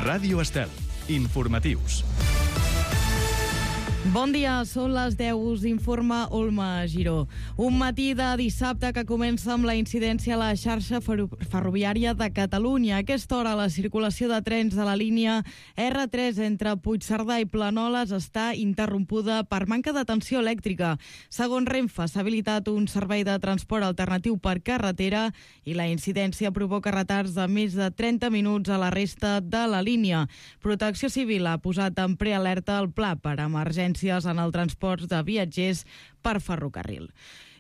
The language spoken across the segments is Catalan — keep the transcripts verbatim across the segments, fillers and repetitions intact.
Ràdio Estel. Informatius. Bon dia, són les deu, us informa Olma Giró. Un matí de dissabte que comença amb la incidència a la xarxa ferroviària de Catalunya. A aquesta hora la circulació de trens de la línia erre tres entre Puigcerdà i Planoles està interrompuda per manca de tensió elèctrica. Segons Renfe, s'ha habilitat un servei de transport alternatiu per carretera i la incidència provoca retards de més de trenta minuts a la resta de la línia. Protecció Civil ha posat en prealerta el pla per emergències en el transport de viatgers per ferrocarril.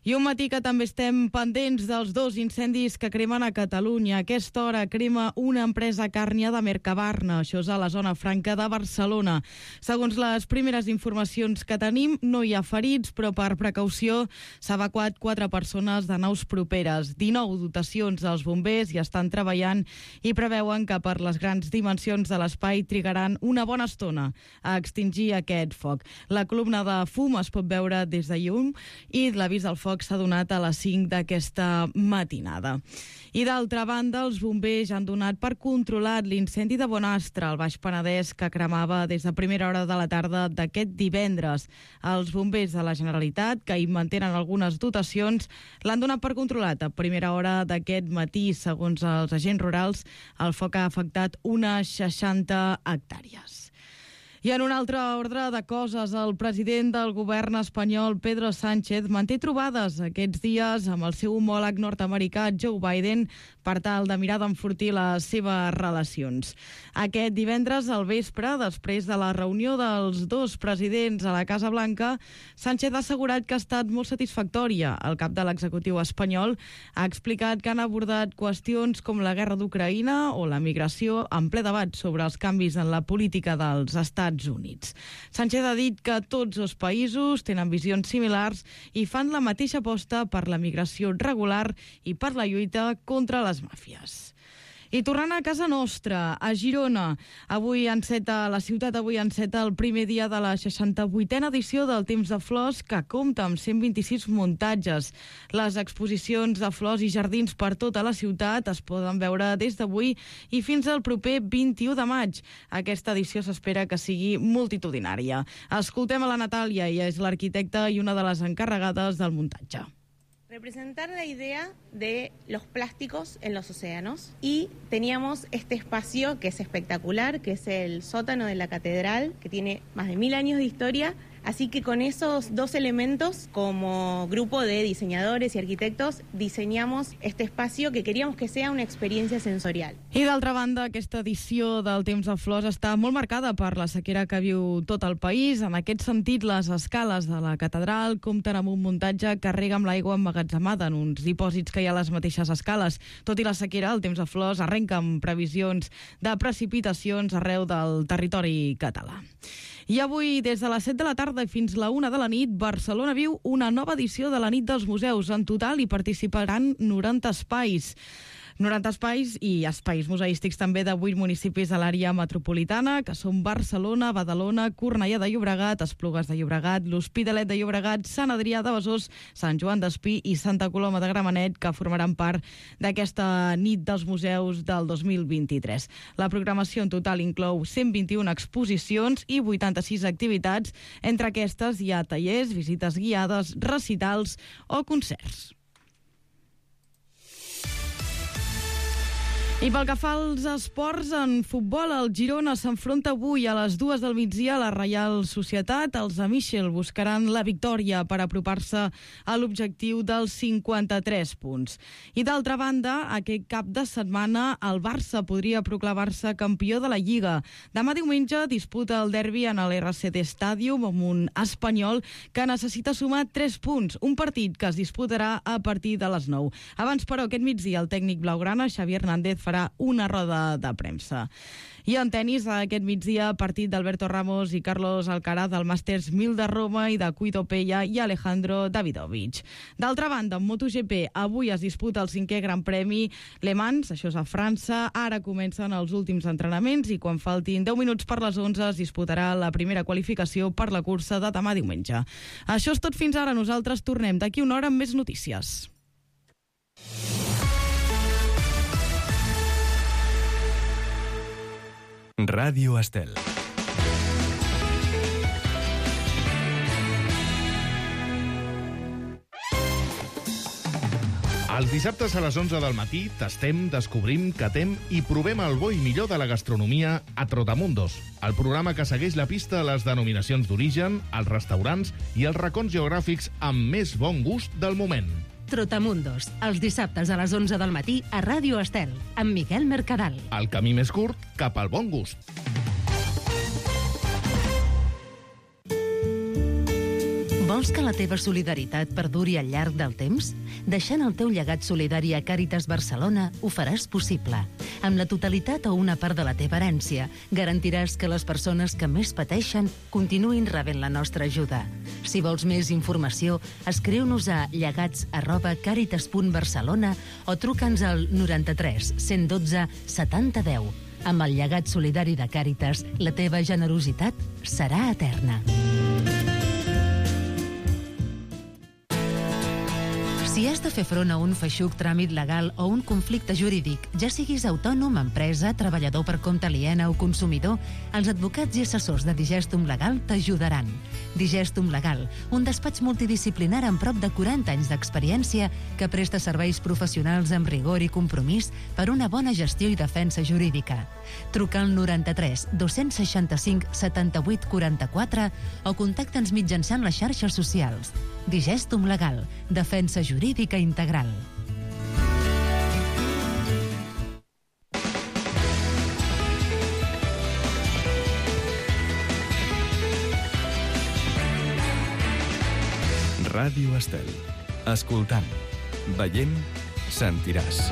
I un matí que també estem pendents dels dos incendis que cremen a Catalunya. A aquesta hora crema una empresa càrnia de Mercabarna, això és a la zona franca de Barcelona. Segons les primeres informacions que tenim, no hi ha ferits, però per precaució s'ha evacuat quatre persones de naus properes. dinou dotacions dels bombers hi estan treballant i preveuen que per les grans dimensions de l'espai trigaran una bona estona a extingir aquest foc. La columna de fum es pot veure des de llum i l'avís del foc s'ha donat a les cinc d'aquesta matinada. I d'altra banda, els bombers han donat per controlat l'incendi de Bonastre, al Baix Penedès, que cremava des de primera hora de la tarda d'aquest divendres. Els bombers de la Generalitat, que hi mantenen algunes dotacions, l'han donat per controlat a primera hora d'aquest matí. Segons els agents rurals, el foc ha afectat unes seixanta hectàrees. I en un altre ordre de coses, el president del govern espanyol, Pedro Sánchez, manté trobades aquests dies amb el seu homòleg nord-americà, Joe Biden, per tal de mirar d'enfortir les seves relacions. Aquest divendres al vespre, després de la reunió dels dos presidents a la Casa Blanca, Sánchez ha assegurat que ha estat molt satisfactòria. El cap de l'executiu espanyol ha explicat que han abordat qüestions com la guerra d'Ucraïna o la migració en ple debat sobre els canvis en la política dels Estats Units. Sánchez ha dit que tots els països tenen visions similars i fan la mateixa aposta per la migració regular i per la lluita contra les màfies. I tornant a casa nostra, a Girona, avui enceta, la ciutat avui enceta el primer dia de la seixanta-vuitena edició del Temps de Flors, que compta amb cent vint-i-sis muntatges. Les exposicions de flors i jardins per tota la ciutat es poden veure des d'avui i fins al proper vint-i-u de maig. Aquesta edició s'espera que sigui multitudinària. Escoltem a la Natàlia, ella és l'arquitecta i una de les encarregades del muntatge. Representar la idea de los plásticos en los océanos, y teníamos este espacio que es espectacular, que es el sótano de la catedral, que tiene más de mil años de historia. Así que con esos dos elementos, como grupo de diseñadores y arquitectos, diseñamos este espacio que queríamos que sea una experiencia sensorial. I d'altra banda, aquesta edició del Temps de Flors està molt marcada per la sequera que viu tot el país. En aquest sentit, les escales de la catedral compten amb un muntatge que rega amb l'aigua emmagatzemada en uns dipòsits que hi ha a les mateixes escales. Tot i la sequera, el Temps de Flors arrenca amb previsions de precipitacions arreu del territori català. I avui, des de les set de la tarda fins la una de la nit, Barcelona viu una nova edició de la Nit dels Museus. En total hi participaran noranta espais. noranta espais i espais museístics també de vuit municipis de l'àrea metropolitana, que són Barcelona, Badalona, Cornellà de Llobregat, Esplugues de Llobregat, l'Hospitalet de Llobregat, Sant Adrià de Besòs, Sant Joan d'Espí i Santa Coloma de Gramenet, que formaran part d'aquesta Nit dels Museus del dos mil vint-i-tres. La programació en total inclou cent vint-i-una exposicions i vuitanta-sis activitats. Entre aquestes hi ha tallers, visites guiades, recitals o concerts. I pel que fa als esports, en futbol, el Girona s'enfronta avui a les dues del migdia a la Reial Societat. Els de Michel buscaran la victòria per apropar-se a l'objectiu dels cinquanta-tres punts. I d'altra banda, aquest cap de setmana el Barça podria proclamar-se campió de la Lliga. Demà diumenge disputa el derbi en l'R C D Stadium amb un Espanyol que necessita sumar tres punts, un partit que es disputarà a partir de les nou. Abans, però, aquest migdia el tècnic blaugrana, Xavi Hernández, farà una roda de premsa. I en tenis, aquest migdia, partit d'Alberto Ramos i Carlos Alcaraz del Masters mil de Roma i de Cuito Pella i Alejandro Davidovich. D'altra banda, en MotoGP, avui es disputa el cinquè Gran Premi Le Mans, això és a França. Ara comencen els últims entrenaments i quan faltin deu minuts per les onze es disputarà la primera qualificació per la cursa de demà diumenge. Això és tot fins ara. Nosaltres tornem d'aquí una hora amb més notícies. Ràdio Estel. Els dissabtes a les onze del matí tastem, descobrim, catem i provem el bo i millor de la gastronomia a Trotamundos, el programa que segueix la pista a les denominacions d'origen, els restaurants i els racons geogràfics amb més bon gust del moment. Trotamundos, els dissabtes a les onze del matí a Ràdio Estel, amb Miquel Mercadal. El camí més curt cap al bon gust. Vols que la teva solidaritat perduri al llarg del temps? Deixant el teu llegat solidari a Càritas Barcelona ho faràs possible. Amb la totalitat o una part de la teva herència, garantiràs que les persones que més pateixen continuïn rebent la nostra ajuda. Si vols més informació, escriu-nos a llegats arroba càritas punt barcelona o truca'ns al noranta-tres cent dotze setanta deu. Amb el llegat solidari de Càritas, la teva generositat serà eterna. Si has de fer front a un feixuc tràmit legal o un conflicte jurídic, ja siguis autònom, empresa, treballador per compte aliena o consumidor, els advocats i assessors de Digestum Legal t'ajudaran. Digestum Legal, un despatx multidisciplinar amb prop de quaranta anys d'experiència que presta serveis professionals amb rigor i compromís per una bona gestió i defensa jurídica. Truca al noranta-tres dos-cents seixanta-cinc setanta-vuit quaranta-quatre o contacta'ns mitjançant les xarxes socials. Digestum Legal, defensa jurídica integral. Ràdio Estel. Escoltant, veient, sentiràs.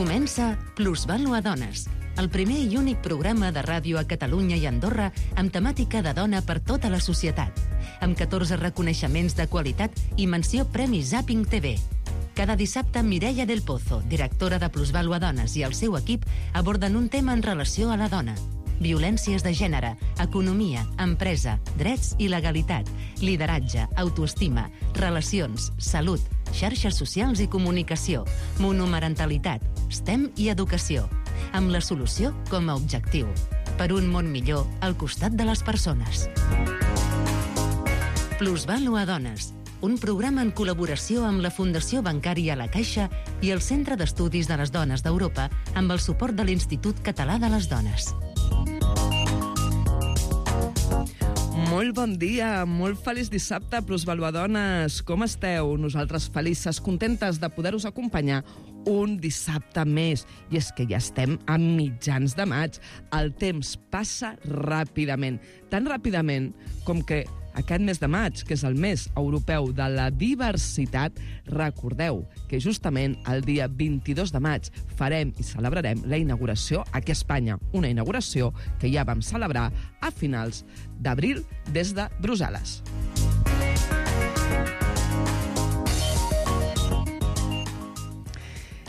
Comença Plusvàlua Dones, el primer i únic programa de ràdio a Catalunya i Andorra amb temàtica de dona per tota la societat, amb catorze reconeixements de qualitat i menció Premi Zapping T V. Cada dissabte, Mireia del Pozo, directora de Plusvàlua Dones, i el seu equip aborden un tema en relació a la dona. Violències de gènere, economia, empresa, drets i legalitat, lideratge, autoestima, relacions, salut, xarxes socials i comunicació, monomarentalitat, STEM i educació, amb la solució com a objectiu. Per un món millor al costat de les persones. Plusvàlua Dones, un programa en col·laboració amb la Fundació Bancària La Caixa i el Centre d'Estudis de les Dones d'Europa amb el suport de l'Institut Català de les Dones. Molt bon dia, molt feliç dissabte, Plusvàlua Dones. Com esteu? Nosaltres felices, contentes de poder-vos acompanyar un dissabte més. I és que ja estem a mitjans de maig. El temps passa ràpidament. Tan ràpidament com que aquest mes de maig, que és el mes europeu de la diversitat, recordeu que justament el dia vint-i-dos de maig farem i celebrarem la inauguració aquí a Espanya. Una inauguració que ja vam celebrar a finals d'abril des de Brussel·les.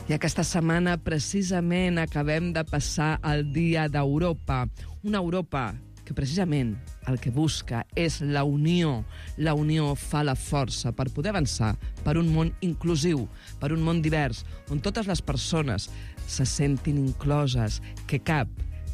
I aquesta setmana precisament acabem de passar el Dia d'Europa. Una Europa que precisament el que busca és la unió. La unió fa la força per poder avançar per un món inclusiu, per un món divers, on totes les persones se sentin incloses, que cap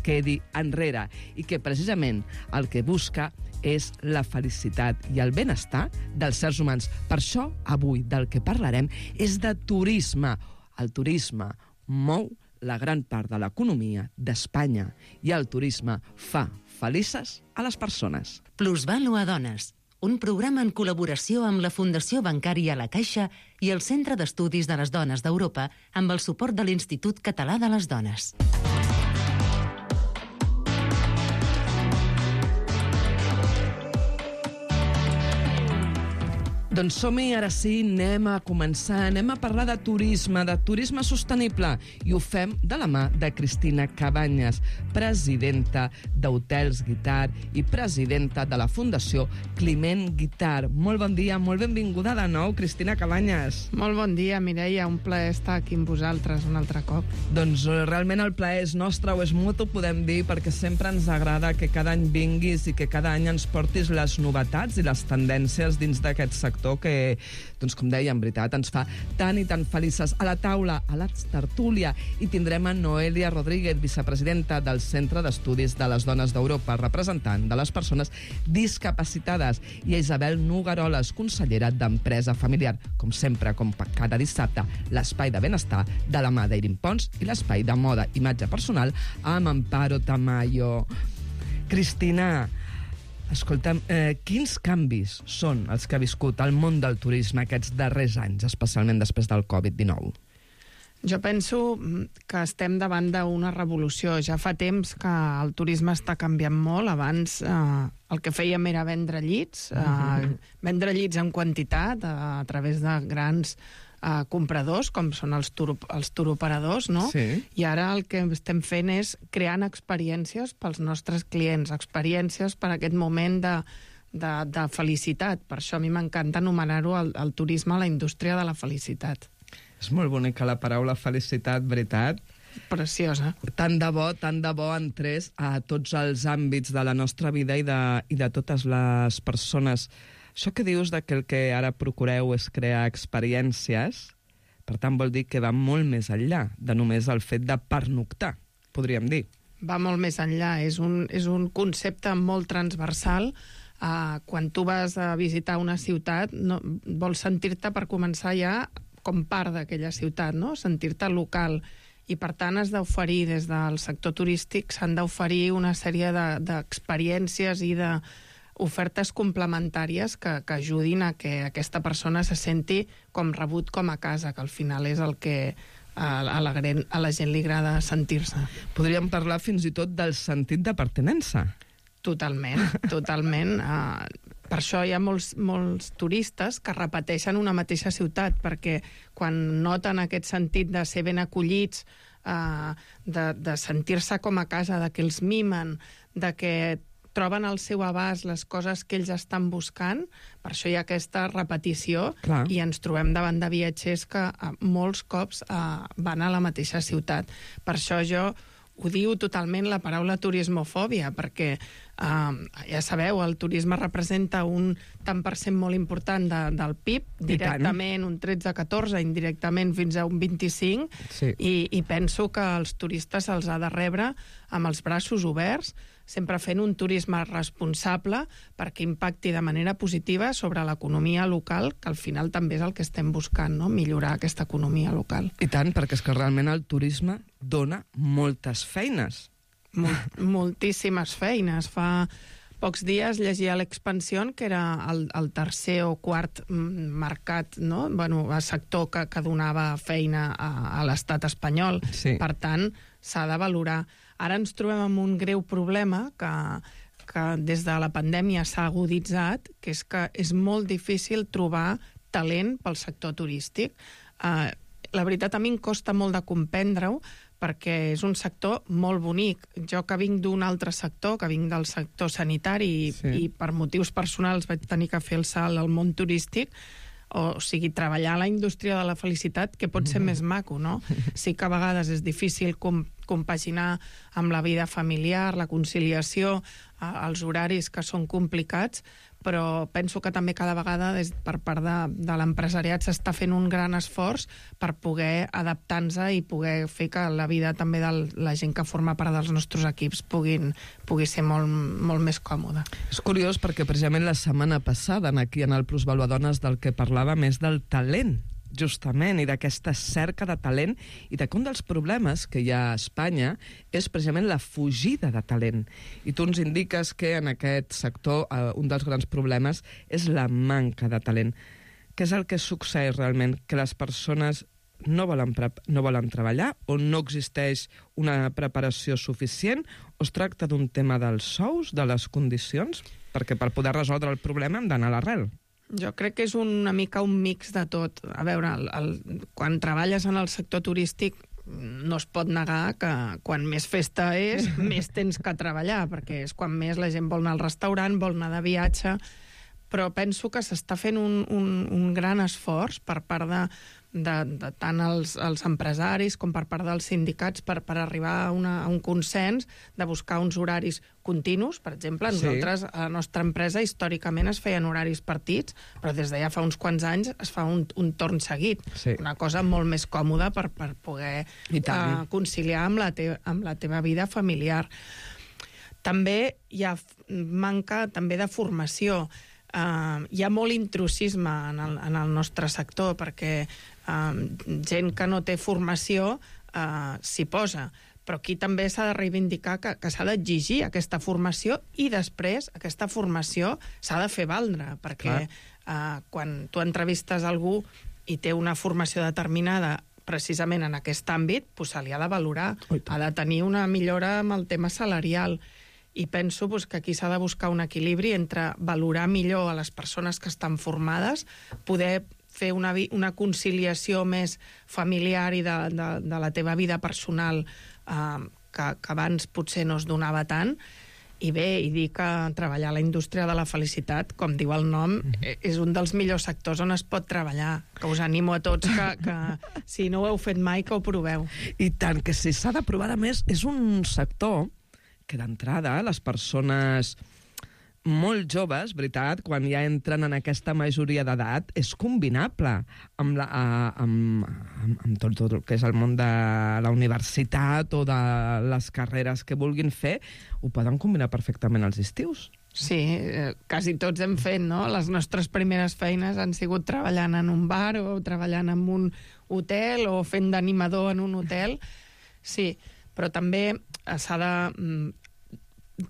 quedi enrere i que precisament el que busca és la felicitat i el benestar dels éssers humans. Per això, avui, del que parlarem és de turisme. El turisme mou la gran part de l'economia d'Espanya i el turisme fa felices a les persones. Plusvàlua Dones, un programa en col·laboració amb la Fundació Bancària La Caixa i el Centre d'Estudis de les Dones d'Europa amb el suport de l'Institut Català de les Dones. Doncs som-hi, ara sí, anem a començar, anem a parlar de turisme, de turisme sostenible, i ho fem de la mà de Cristina Cabanyes, presidenta d'Hotels Guitar i presidenta de la Fundació Climent Guitar. Molt bon dia, molt benvinguda de nou, Cristina Cabanyes. Molt bon dia, Mireia, un plaer estar aquí amb vosaltres un altre cop. Doncs realment el plaer és nostre, o és mutu, podem dir, perquè sempre ens agrada que cada any vinguis i que cada any ens portis les novetats i les tendències dins d'aquest sector que, doncs com deia, en veritat, ens fa tan i tan felices. A la taula, a la tertúlia, i tindrem a Noelia Rodríguez, vicepresidenta del Centre d'Estudis de les Dones d'Europa, representant de les persones discapacitades, i a Isabel Nogueroles, consellera d'Empresa Familiar. Com sempre, com cada dissabte, l'espai de benestar de la mà d'Eirin Pons i l'espai de moda i imatge personal amb Amparo Tamayo. Cristina, escolta'm, eh, quins canvis són els que ha viscut el món del turisme aquests darrers anys, especialment després del covid dinou? Jo penso que estem davant d'una revolució. Ja fa temps que el turisme està canviant molt. Abans eh, el que fèiem era vendre llits, eh, vendre llits en quantitat a, a través de grans eh, compradors, com són els, tur els turoperadors, no? Sí. I ara el que estem fent és creant experiències pels nostres clients, experiències per a aquest moment de, de, de felicitat. Per això a mi m'encanta anomenar-ho el, el turisme a la indústria de la felicitat. És molt bonica la paraula felicitat, veritat? Preciosa. Tant de bo, tant de bo entrés a tots els àmbits de la nostra vida i de, i de totes les persones. Això que dius de que el que ara procureu és crear experiències, per tant vol dir que va molt més enllà de només el fet de pernoctar, podríem dir. Va molt més enllà. És un, és un concepte molt transversal. Uh, quan tu vas a visitar una ciutat, no, vols sentir-te, per començar, ja com part d'aquella ciutat, no? Sentir-te local. I, per tant, has d'oferir, des del sector turístic, s'han d'oferir una sèrie d'experiències de, i d'ofertes complementàries que, que ajudin a que aquesta persona se senti com rebut com a casa, que al final és el que a, a, la, a la gent li agrada sentir-se. Podríem parlar fins i tot del sentit de pertinença. Totalment, totalment. Uh, per això hi ha molts, molts turistes que repeteixen una mateixa ciutat, perquè quan noten aquest sentit de ser ben acollits, uh, de, de sentir-se com a casa, de que els mimen, de que troben al seu abast les coses que ells estan buscant, per això hi ha aquesta repetició. Clar. I ens trobem davant de viatgers que uh, molts cops uh, van a la mateixa ciutat. Per això jo ho diu totalment la paraula turismofòbia, perquè eh, ja sabeu, el turisme representa un tant per cent molt important de, del P I B, directament un tretze catorze, indirectament fins a un vint-i-cinc, sí. i, i penso que els turistes se'ls ha de rebre amb els braços oberts, sempre fent un turisme responsable perquè impacti de manera positiva sobre l'economia local, que al final també és el que estem buscant, no? Millorar aquesta economia local. I tant, perquè és que realment el turisme dona moltes feines. Mol moltíssimes feines. Fa pocs dies llegia l'Expansión, que era el, el tercer o quart mercat, no? Bueno, el sector que, que donava feina a, a l'estat espanyol. Sí. Per tant, s'ha de valorar. Ara ens trobem amb un greu problema que, que des de la pandèmia s'ha aguditzat, que és que és molt difícil trobar talent pel sector turístic. Uh, la veritat, a mi em costa molt de comprendre-ho, perquè és un sector molt bonic. Jo, que vinc d'un altre sector, que vinc del sector sanitari, sí. i per motius personals vaig tenir que fer el salt al món turístic, o sigui, treballar a la indústria de la felicitat, que pot ser més maco, no? Sí que a vegades és difícil com, compaginar amb la vida familiar, la conciliació, eh, els horaris que són complicats, però penso que també cada vegada des, per part de, de l'empresariat s'està fent un gran esforç per poder adaptar-nos i poder fer que la vida també de la gent que forma part dels nostres equips puguin, pugui ser molt, molt més còmoda. És curiós perquè precisament la setmana passada aquí en el Plusvaluadones del que parlava més del talent, justament, i d'aquesta cerca de talent, i de que un dels problemes que hi ha a Espanya és precisament la fugida de talent. I tu ens indiques que en aquest sector eh, un dels grans problemes és la manca de talent. Què és el que succeeix realment? Que les persones no volen, no volen treballar, o no existeix una preparació suficient, o es tracta d'un tema dels sous, de les condicions? Perquè per poder resoldre el problema hem d'anar a l'arrel. Jo crec que és una mica un mix de tot. A veure, el, el, quan treballes en el sector turístic no es pot negar que quan més festa és, més tens que treballar, perquè és quan més la gent vol anar al restaurant, vol anar de viatge, però penso que s'està fent un, un, un gran esforç per part de, de, de tant els, els empresaris com per part dels sindicats per, per arribar a, una, a un consens de buscar uns horaris continus. Per exemple, nosaltres, sí. a la nostra empresa, històricament es feien horaris partits, però des de ja fa uns quants anys es fa un, un torn seguit. Sí. Una cosa molt més còmoda per, per poder uh, conciliar amb la, te, amb la teva vida familiar. També hi ha manca també de formació. Uh, hi ha molt intrusisme en el, en el nostre sector, perquè uh, gent que no té formació uh, s'hi posa. Però aquí també s'ha de reivindicar que, que s'ha d'exigir aquesta formació i després aquesta formació s'ha de fer valdre, perquè uh, quan tu entrevistes algú i té una formació determinada precisament en aquest àmbit, pues, se li ha de valorar. Ha de tenir una millora amb el tema salarial. I penso pues, que aquí s'ha de buscar un equilibri entre valorar millor a les persones que estan formades, poder fer una, una conciliació més familiar i de, de, de la teva vida personal eh, que, que abans potser no es donava tant, i bé, i dir que treballar a la indústria de la felicitat, com diu el nom, mm-hmm. és un dels millors sectors on es pot treballar, que us animo a tots que, que si no ho heu fet mai, que ho proveu. I tant, que si s'ha de provar, a més, és un sector que d'entrada les persones molt joves, veritat, quan ja entren en aquesta majoria d'edat, és combinable amb, la, amb, amb, amb tot, tot el que és el món de la universitat o de les carreres que vulguin fer, ho poden combinar perfectament als estius. Sí, eh, quasi tots hem fet, no? Les nostres primeres feines han sigut treballant en un bar o treballant en un hotel o fent d'animador en un hotel. Sí, però també s'ha de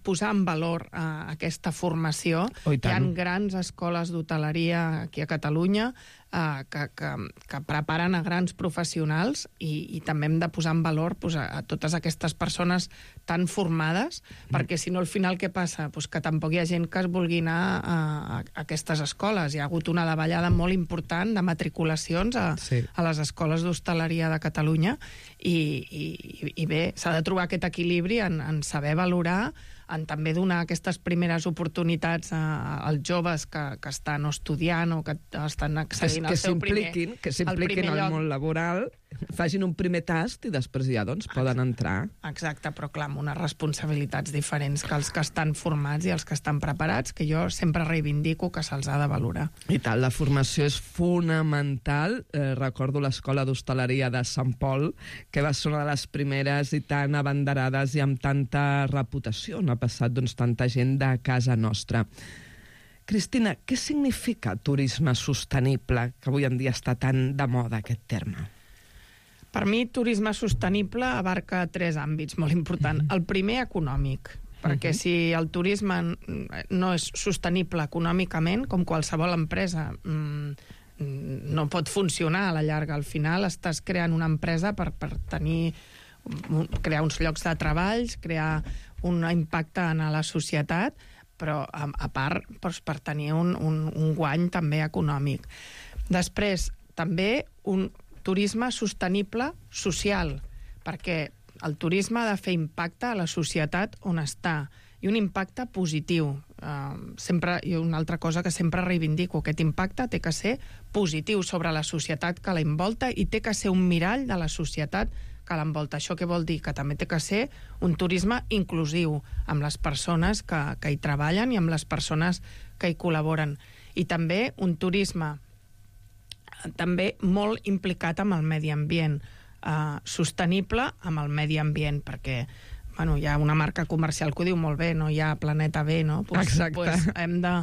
posar en valor uh, aquesta formació. Oh, hi ha grans escoles d'hoteleria aquí a Catalunya uh, que, que, que preparen a grans professionals i, i també hem de posar en valor pues, a, a totes aquestes persones tan formades, mm. perquè si no al final què passa? Pues que tampoc hi ha gent que es vulgui anar a, a, a aquestes escoles. Hi ha hagut una davallada molt important de matriculacions a, sí. a les escoles d'hostaleria de Catalunya i, i, i bé, s'ha de trobar aquest equilibri en, en saber valorar, en també donar aquestes primeres oportunitats a, als joves que, que estan estudiant o que estan accedint al seu primer... Que s'impliquin al món laboral, facin un primer tast i després ja doncs, poden entrar. Exacte, però clar, amb unes responsabilitats diferents que els que estan formats i els que estan preparats, que jo sempre reivindico que se'ls ha de valorar. I tal, la formació és fonamental. Eh, recordo l'Escola d'Hostaleria de Sant Pol, que va ser una de les primeres i tan abanderades i amb tanta reputació. No ha passat doncs, tanta gent de casa nostra. Cristina, què significa turisme sostenible, que avui en dia està tan de moda aquest terme? Per mi, turisme sostenible abarca tres àmbits molt importants. El primer, econòmic, perquè si el turisme no és sostenible econòmicament, com qualsevol empresa, no pot funcionar a la llarga. Al final estàs creant una empresa per, per tenir, crear uns llocs de treball, crear un impacte en la societat, però a, a part doncs, per tenir un, un, un guany també econòmic. Després, també un turisme sostenible social, perquè el turisme ha de fer impacte a la societat on està, i un impacte positiu. Uh, sempre, i una altra cosa que sempre reivindico, aquest impacte té que ser positiu sobre la societat que la envolta i té que ser un mirall de la societat que l'envolta. Això què vol dir? Que també té que ser un turisme inclusiu amb les persones que, que hi treballen i amb les persones que hi col·laboren. I també un turisme també molt implicat amb el medi ambient, eh, sostenible amb el medi ambient, perquè bueno, hi ha una marca comercial que ho diu molt bé, no hi ha planeta B, no? Pues, Exacte. Pues hem de,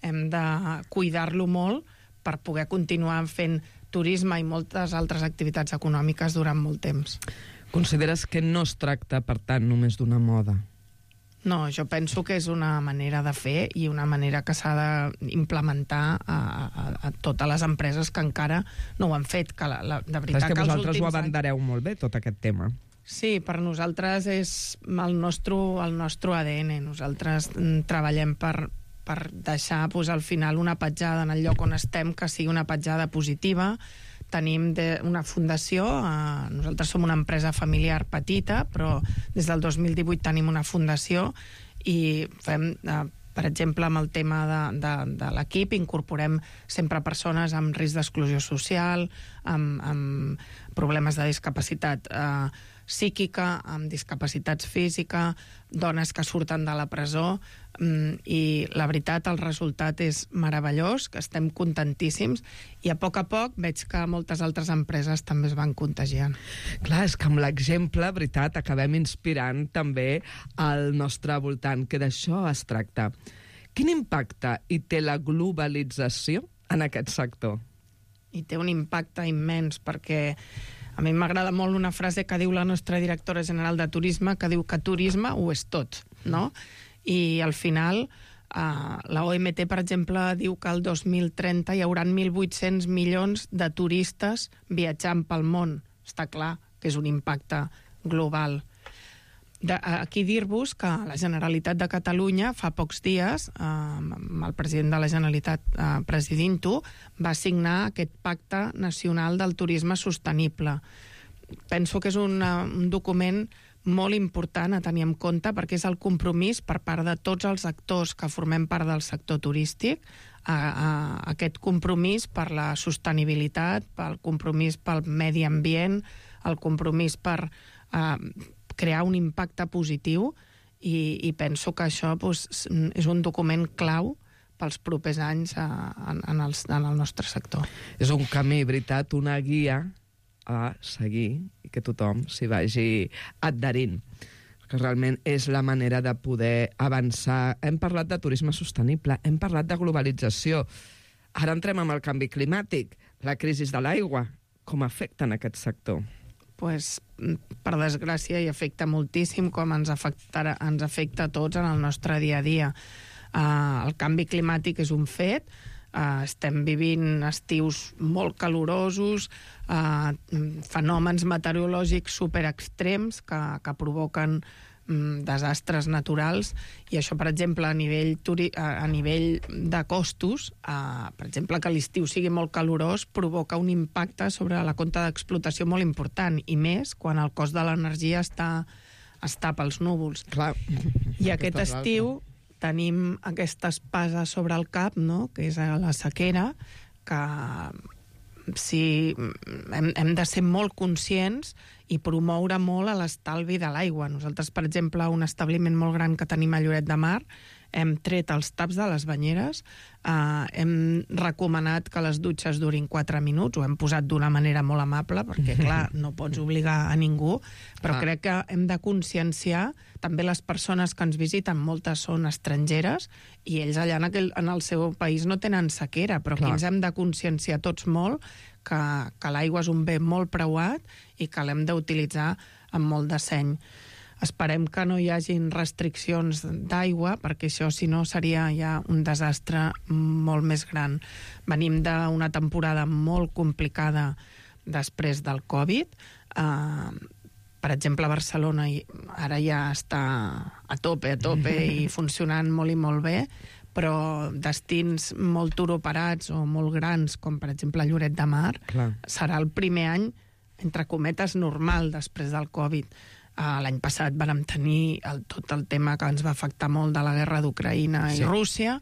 hem de cuidar-lo molt per poder continuar fent turisme i moltes altres activitats econòmiques durant molt temps. Consideres que no es tracta, per tant, només d'una moda? No, jo penso que és una manera de fer i una manera que s'ha d'implementar a, a, a totes les empreses que encara no ho han fet. Que la, la, de veritat, és que, que vosaltres ho abandereu anys... molt bé, tot aquest tema. Sí, per nosaltres és el nostre, el nostre A D N. Nosaltres treballem per, per deixar pues, al final una petjada en el lloc on estem que sigui una petjada positiva. Tenim de, una fundació, eh, nosaltres som una empresa familiar petita, però des del dos mil divuit tenim una fundació i fem... Eh, per exemple, amb el tema de, de, de l'equip, incorporem sempre persones amb risc d'exclusió social, amb, amb problemes de discapacitat eh, psíquica, amb discapacitats física, dones que surten de la presó, i la veritat, el resultat és meravellós, que estem contentíssims, i a poc a poc veig que moltes altres empreses també es van contagiant. Clar, és que amb l'exemple, veritat, acabem inspirant també al nostre voltant, que d'això es tracta. Quin impacte hi té la globalització en aquest sector? I té un impacte immens, perquè a mi m'agrada molt una frase que diu la nostra directora general de turisme, que diu que turisme ho és tot, no? I al final, eh, la O M T, per exemple, diu que el dos mil trenta hi haurà mil vuit-cents milions de turistes viatjant pel món. Està clar que és un impacte global. De, aquí dir-vos que la Generalitat de Catalunya fa pocs dies, eh, amb el president de la Generalitat eh, presidint-ho, va signar aquest Pacte Nacional del Turisme Sostenible. Penso que és un, un document molt important a tenir en compte, perquè és el compromís per part de tots els actors que formem part del sector turístic, a, a aquest compromís per la sostenibilitat, pel compromís pel medi ambient, el compromís per a, crear un impacte positiu, i, i penso que això pues, és un document clau pels propers anys a, en, en, els, en el nostre sector. És un camí, veritat, una guia a seguir i que tothom s'hi vagi adherint, que realment és la manera de poder avançar. Hem parlat de turisme sostenible, hem parlat de globalització, ara entrem amb el canvi climàtic, la crisi de l'aigua, com afecta en aquest sector? Pues, per desgràcia, hi afecta moltíssim, com ens, afectarà, ens afecta a tots en el nostre dia a dia. Uh, el canvi climàtic és un fet, uh, estem vivint estius molt calorosos, uh, fenòmens meteorològics superextrems que, que provoquen um, desastres naturals, i això, per exemple, a nivell, turi a, a nivell de costos, uh, per exemple, que l'estiu sigui molt calorós provoca un impacte sobre la compta d'explotació molt important, i més quan el cost de l'energia està, està pels núvols. Clar. I aquest estiu tenim aquesta espasa sobre el cap, no?, que és la sequera, que si hem, hem de ser molt conscients i promoure molt a l'estalvi de l'aigua. Nosaltres, per exemple, un establiment molt gran que tenim a Lloret de Mar, hem tret els taps de les banyeres, eh, hem recomanat que les dutxes durin quatre minuts, ho hem posat d'una manera molt amable, perquè, clar, no pots obligar a ningú, però ah. crec que hem de conscienciar també les persones que ens visiten, moltes són estrangeres, i ells allà en, aquell, en el seu país no tenen sequera, però clar, aquí ens hem de conscienciar tots molt que, que l'aigua és un bé molt preuat i que l'hem d'utilitzar amb molt de seny. Esperem que no hi hagin restriccions d'aigua, perquè això, si no, seria ja un desastre molt més gran. Venim d'una temporada molt complicada després del Covid. Uh, per exemple, a Barcelona ara ja està a tope, a tope i funcionant molt i molt bé, però destins molt turoperats o molt grans, com per exemple Lloret de Mar, clar, serà el primer any, entre cometes, normal després del Covid. Uh, L'any passat vam tenir el, tot el tema que ens va afectar molt de la guerra d'Ucraïna i sí. Rússia,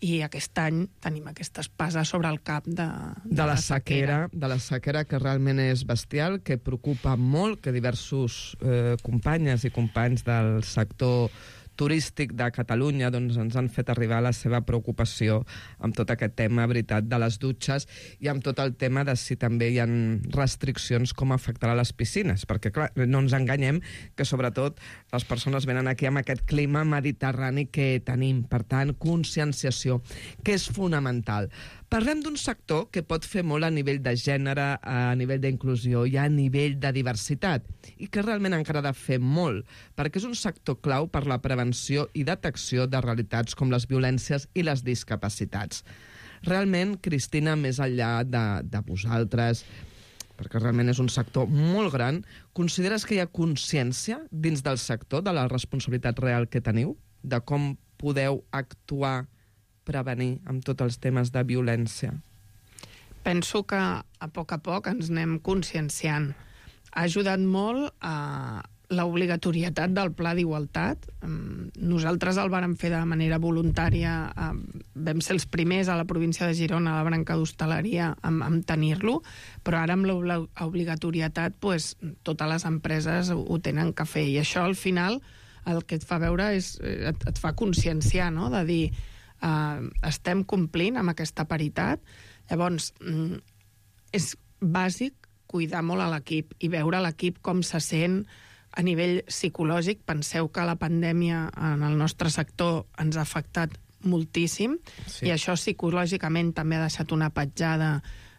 i aquest any tenim aquesta espasa sobre el cap de, de, de la, la sequera. sequera. De la sequera, que realment és bestial, que preocupa molt, que diversos eh, companyes i companys del sector turístic de Catalunya doncs, ens han fet arribar la seva preocupació amb tot aquest tema, veritat, de les dutxes, i amb tot el tema de si també hi ha restriccions com afectarà les piscines, perquè clar, no ens enganyem que sobretot les persones venen aquí amb aquest clima mediterrani que tenim, per tant, conscienciació, que és fonamental. Parlem d'un sector que pot fer molt a nivell de gènere, a nivell d'inclusió i a nivell de diversitat, i que realment encara ha de fer molt, perquè és un sector clau per la prevenció i detecció de realitats com les violències i les discapacitats. Realment, Cristina, més enllà de, de vosaltres, perquè realment és un sector molt gran, consideres que hi ha consciència dins del sector de la responsabilitat real que teniu, de com podeu actuar prevenir amb tots els temes de violència? Penso que a poc a poc ens anem conscienciant. Ha ajudat molt a l'obligatorietat del Pla d'Igualtat. Nosaltres el vàrem fer de manera voluntària, vam ser els primers a la província de Girona, a la branca d'hostaleria, en tenir-lo, però ara amb l'obligatorietat pues, totes les empreses ho tenen que fer, i això al final el que et fa veure és, et, et fa conscienciar, no?, de dir eh, estem complint amb aquesta paritat. Llavors, és bàsic cuidar molt a l'equip i veure l'equip com se sent a nivell psicològic. Penseu que la pandèmia en el nostre sector ens ha afectat moltíssim, sí. I això psicològicament també ha deixat una petjada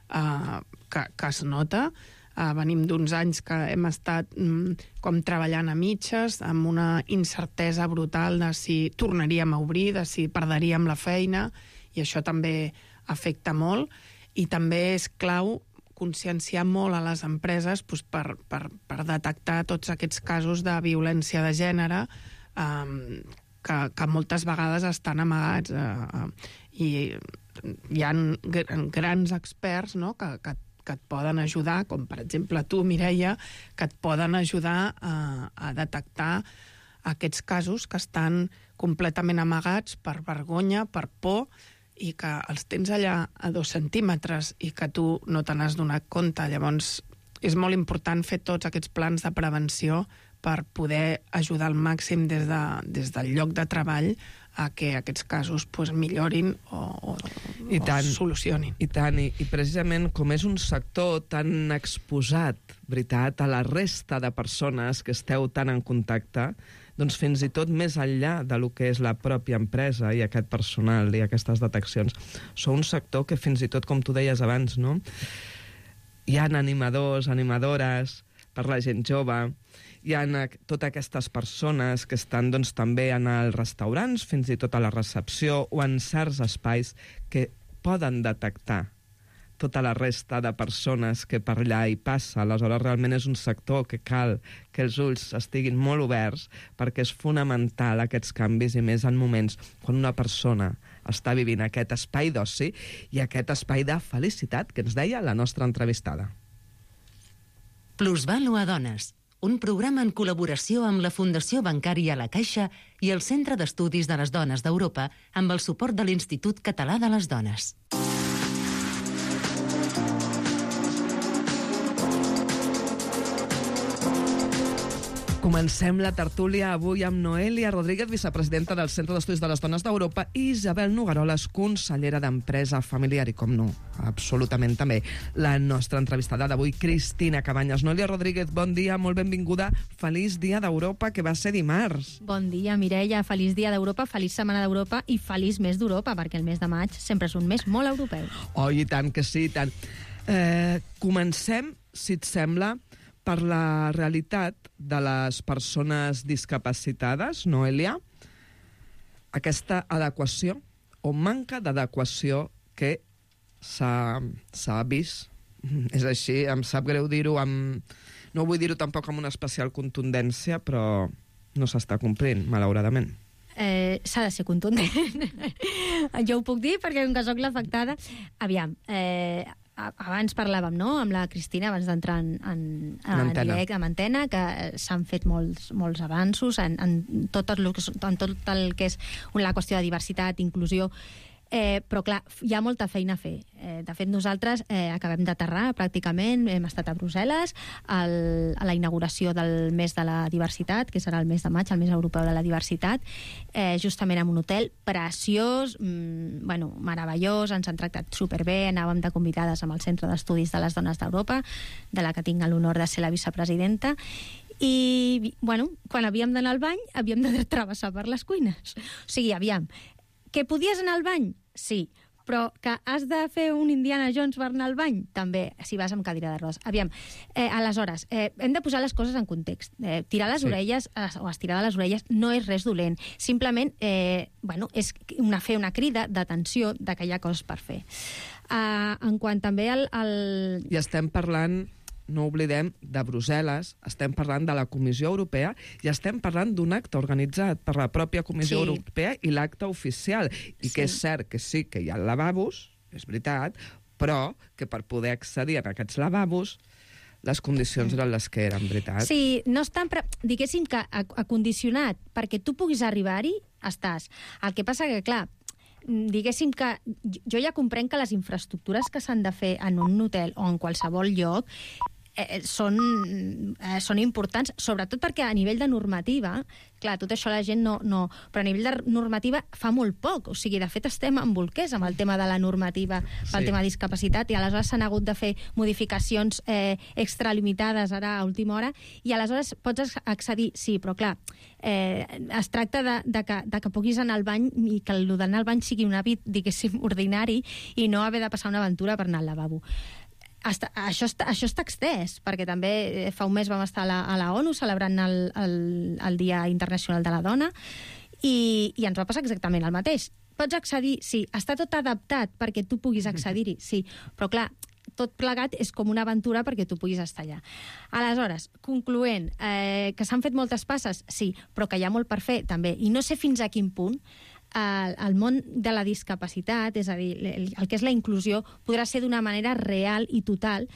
eh, que, que es nota. Eh, venim d'uns anys que hem estat mm, com treballant a mitges, amb una incertesa brutal de si tornaríem a obrir, de si perderíem la feina, i això també afecta molt, i també és clau conscienciar molt a les empreses doncs, per, per, per detectar tots aquests casos de violència de gènere eh, que, que moltes vegades estan amagats. Eh, I hi ha grans experts, no?, que, que, que et poden ajudar, com per exemple tu, Mireia, que et poden ajudar a, a detectar aquests casos que estan completament amagats per vergonya, per por, i que els tens allà a dos centímetres i que tu no te n'has donat compte. Llavors, és molt important fer tots aquests plans de prevenció per poder ajudar al màxim des, de, des del lloc de treball a que aquests casos pues, millorin o, o, I tant, o solucionin. I tant, i, i precisament com és un sector tan exposat, veritat, a la resta de persones que esteu tan en contacte, doncs fins i tot més enllà de lo que és la pròpia empresa i aquest personal i aquestes deteccions, sou un sector que fins i tot, com tu deies abans, no?, hi ha animadors, animadores per la gent jove, hi ha totes aquestes persones que estan doncs, també en els restaurants, fins i tot a la recepció o en certs espais que poden detectar tota la resta de persones que per allà hi passa. Aleshores, realment és un sector que cal que els ulls estiguin molt oberts, perquè és fonamental aquests canvis, i més en moments quan una persona està vivint aquest espai d'oci i aquest espai de felicitat que ens deia la nostra entrevistada. Plusvalua Dones, un programa en col·laboració amb la Fundació Bancària La Caixa i el Centre d'Estudis de les Dones d'Europa amb el suport de l'Institut Català de les Dones. Comencem la tertúlia avui amb Noelia Rodríguez, vicepresidenta del Centre d'Estudis de les Dones d'Europa, i Isabel Nogaroles, consellera d'Empresa Familiar, i com no, absolutament també, la nostra entrevistada d'avui, Cristina Cabanyes. Noelia Rodríguez, bon dia, molt benvinguda. Feliç Dia d'Europa, que va ser dimarts. Bon dia, Mireia. Feliç Dia d'Europa, feliç Setmana d'Europa i feliç mes d'Europa, perquè el mes de maig sempre és un mes molt europeu. Oh, i tant que sí, i tant. Eh, comencem, si et sembla, per la realitat de les persones discapacitades, Noelia, aquesta adequació o manca d'adequació que s'ha vist. És així, em sap greu dir-ho, amb... no vull dir-ho tampoc amb una especial contundència, però no s'està complint, malauradament. Eh, s'ha de ser contundent. Jo ho puc dir perquè com que soc l'afectada. Aviam, eh, abans parlàvem, no?, amb la Cristina, abans d'entrar en, en, en, en directe, en antena, que s'han fet molts, molts avanços en, en, tot el, en tot el que és la qüestió de diversitat, inclusió, eh, però clar, hi ha molta feina a fer. Eh, de fet, nosaltres eh, acabem d'aterrar pràcticament, hem estat a Brussel·les el, a la inauguració del mes de la diversitat, que serà el mes de maig, el mes europeu de la diversitat, eh, justament en un hotel preciós, mmm, bueno, meravellós, ens han tractat superbé, anàvem de convidades amb el Centre d'Estudis de les Dones d'Europa, de la que tinc l'honor de ser la vicepresidenta, i, bueno, quan havíem d'anar al bany, havíem de travessar per les cuines. O sigui, aviam, que podies anar al bany? Sí. Però que has de fer un Indiana Jones per anar al bany? També, si vas amb cadira de rodes. Aviam, eh, aleshores, eh, hem de posar les coses en context. Eh, tirar les sí. orelles eh, o estirar de les orelles no és res dolent. Simplement, eh, bueno, és una, fer una crida d'atenció de que hi ha coses per fer. Uh, en quant també al, al... I estem parlant no oblidem, de Brussel·les, estem parlant de la Comissió Europea i estem parlant d'un acte organitzat per la pròpia Comissió sí. Europea i l'acte oficial. I sí. que és cert que sí que hi ha lavabos, és veritat, però que per poder accedir a aquests lavabos les condicions eren les que eren, veritat? Sí, no estan, pre... diguéssim que acondicionat perquè tu puguis arribar-hi, estàs. El que passa que, clar, diguéssim que jo ja comprenc que les infraestructures que s'han de fer en un hotel o en qualsevol lloc eh, són, eh, són importants, sobretot perquè a nivell de normativa, clar, tot això la gent no, no... Però a nivell de normativa fa molt poc, o sigui, de fet estem en bolquers amb el tema de la normativa pel sí. tema de discapacitat, i aleshores s'han hagut de fer modificacions eh, extralimitades ara a última hora, i aleshores pots accedir, sí, però clar, eh, es tracta de, de, que, de que puguis anar al bany i que el d'anar al bany sigui un hàbit, diguéssim, ordinari, i no haver de passar una aventura per anar al lavabo. Hasta, això, està, això està extès, perquè també fa un mes vam estar a la, a la ONU celebrant el, el, el Dia Internacional de la Dona i, i ens va passar exactament el mateix. Pots accedir, sí, està tot adaptat perquè tu puguis accedir-hi, sí, però clar, tot plegat és com una aventura perquè tu puguis estar allà. Aleshores, concloent, eh, que s'han fet moltes passes, sí, però que hi ha molt per fer, també, i no sé fins a quin punt el, el món de la discapacitat, és a dir, el, el que és la inclusió, podrà ser d'una manera real i total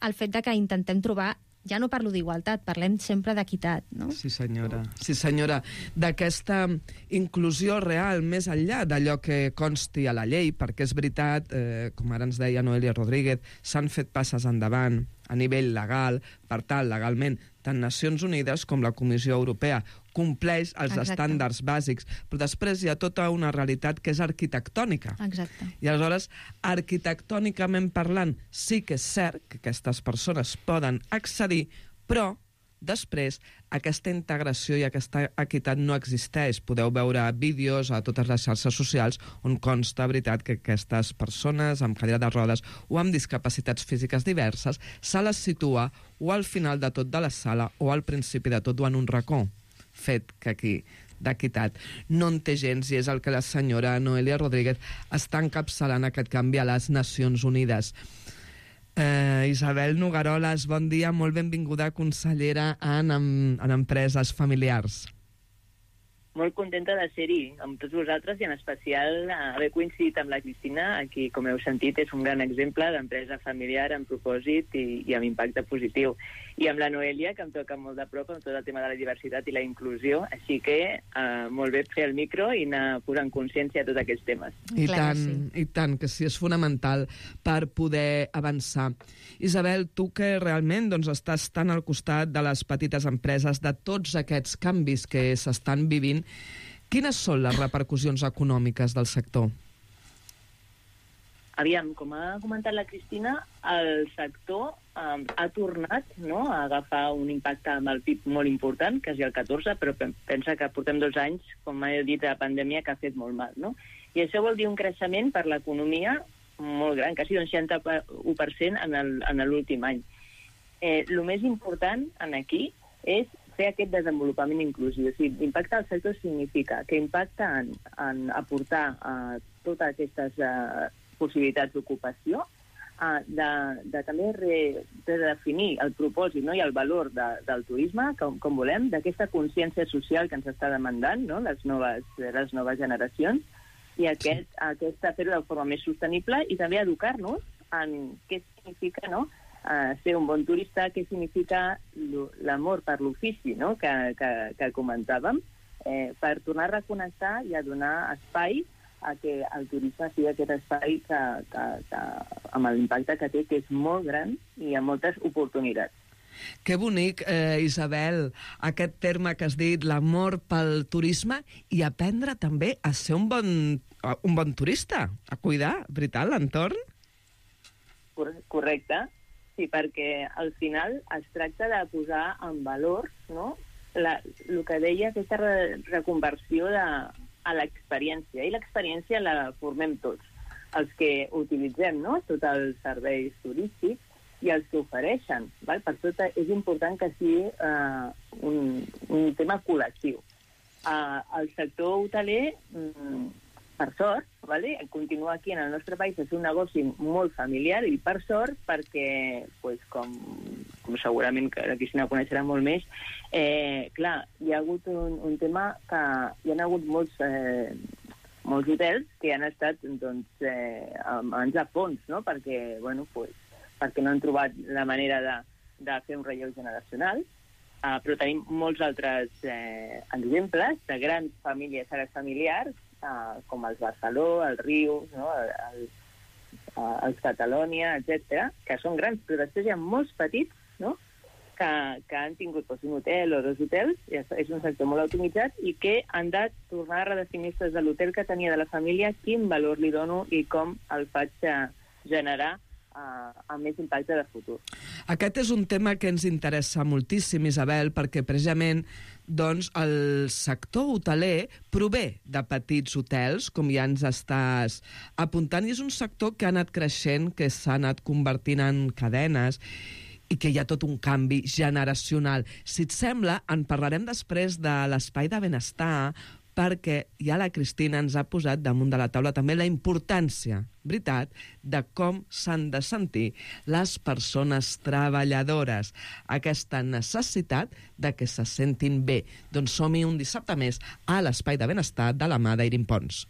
el fet de que intentem trobar, ja no parlo d'igualtat, parlem sempre d'equitat, no? Sí, senyora. Sí, senyora. D'aquesta inclusió real, més enllà d'allò que consti a la llei, perquè és veritat, eh, com ara ens deia Noelia Rodríguez, s'han fet passes endavant a nivell legal, per tal, legalment, tant Nacions Unides com la Comissió Europea compleix els Exacte. estàndards bàsics, però després hi ha tota una realitat que és arquitectònica. Exacte. I aleshores, arquitectònicament parlant, sí que és cert que aquestes persones poden accedir, però després aquesta integració i aquesta equitat no existeix. Podeu veure vídeos a totes les xarxes socials on consta, veritat, que aquestes persones amb cadira de rodes o amb discapacitats físiques diverses se les situa o al final de tot de la sala o al principi de tot o en un racó. Fet que aquí d'equitat no en té gens, i és el que la senyora Noelia Rodríguez està encapçalant aquest canvi a les Nacions Unides. Eh, Isabel Nogaroles, bon dia, molt benvinguda, consellera en, en, en Empreses Familiars. Molt contenta de ser-hi amb tots vosaltres i en especial haver coincidit amb la Cristina, a qui, com heu sentit, és un gran exemple d'empresa familiar amb propòsit i, i amb impacte positiu. I amb la Noelia, que em toca molt de prop amb tot el tema de la diversitat i la inclusió, així que eh, molt bé fer el micro i anar posant consciència de tots aquests temes. I Clar, tant, sí. i tant, que sí, és fonamental per poder avançar. Isabel, tu que realment doncs, estàs tan al costat de les petites empreses, de tots aquests canvis que s'estan vivint, quines són les repercussions econòmiques del sector? Aviam, com ha comentat la Cristina, el sector um, ha tornat, no?, a agafar un impacte amb el P I B molt important, quasi el catorze, però pensa que portem dos anys, com he dit, de pandèmia, que ha fet molt mal, no? I això vol dir un creixement per l'economia molt gran, quasi un seixanta-u per cent en l'últim any. Eh, el més important en aquí és fer aquest desenvolupament inclusiu. O sigui, l'impacte del sector significa que impacta en, en aportar uh, totes aquestes uh, possibilitats d'ocupació, uh, de, de també re, de definir el propòsit, no?, i el valor de, del turisme, com, com volem, d'aquesta consciència social que ens està demandant, no?, les noves, les noves generacions, i aquest, aquesta fer-ho de forma més sostenible i també educar-nos en què significa, no?, Uh, ser un bon turista, què significa l'amor per l'ofici, no?, que, que, que comentàvem, eh, per tornar a reconnectar i a donar espai a que el turisme sigui aquest espai que, que, que, amb l'impacte que té, que és molt gran i amb moltes oportunitats. Que bonic, eh, Isabel, aquest terme que has dit, l'amor pel turisme, i aprendre també a ser un bon, un bon turista, a cuidar, veritat, l'entorn? Correcte. Sí, perquè al final es tracta de posar en valor, no?, la, el que deia, aquesta re, reconversió de, a l'experiència. I l'experiència la formem tots. Els que utilitzem, no?, tots els serveis turístics i els que ofereixen. Val? Per tot és important que sigui uh, un, un tema col·lectiu. Uh, el sector hoteler mm, per sort, vale? Continua aquí en el nostre país és un negoci molt familiar i per sort perquè, pues, com, com segurament que la Cristina coneixerà molt més, eh, clar, hi ha hagut un, un tema que hi ha hagut molts, eh, molts hotels que han estat doncs, eh, a mans de fons, no? Perquè, bueno, pues, perquè no han trobat la manera de, de fer un relleu generacional. Uh, però tenim molts altres eh, exemples de grans famílies, àrees familiars, uh, com els Barceló, el Riu, no? el, el, uh, els Catalònia, etcètera, que són grans, però després hi ha molts petits, no? que, que han tingut doncs, un hotel o dos hotels, i és un sector molt automatitzat, i que han de tornar a redefinir-se des de l'hotel que tenia de la família, quin valor li dono i com el faig generar Uh, amb més impacte de futur. Aquest és un tema que ens interessa moltíssim, Isabel, perquè precisament doncs, el sector hoteler prové de petits hotels, com ja ens estàs apuntant, i és un sector que ha anat creixent, que s'ha anat convertint en cadenes i que hi ha tot un canvi generacional. Si et sembla, en parlarem després de l'espai de benestar, perquè ja la Cristina ens ha posat damunt de la taula també la importància, veritat, de com s'han de sentir les persones treballadores. Aquesta necessitat de que se sentin bé. Doncs som-hi un dissabte més a l'Espai de Benestar de la mà d'Eirin Pons.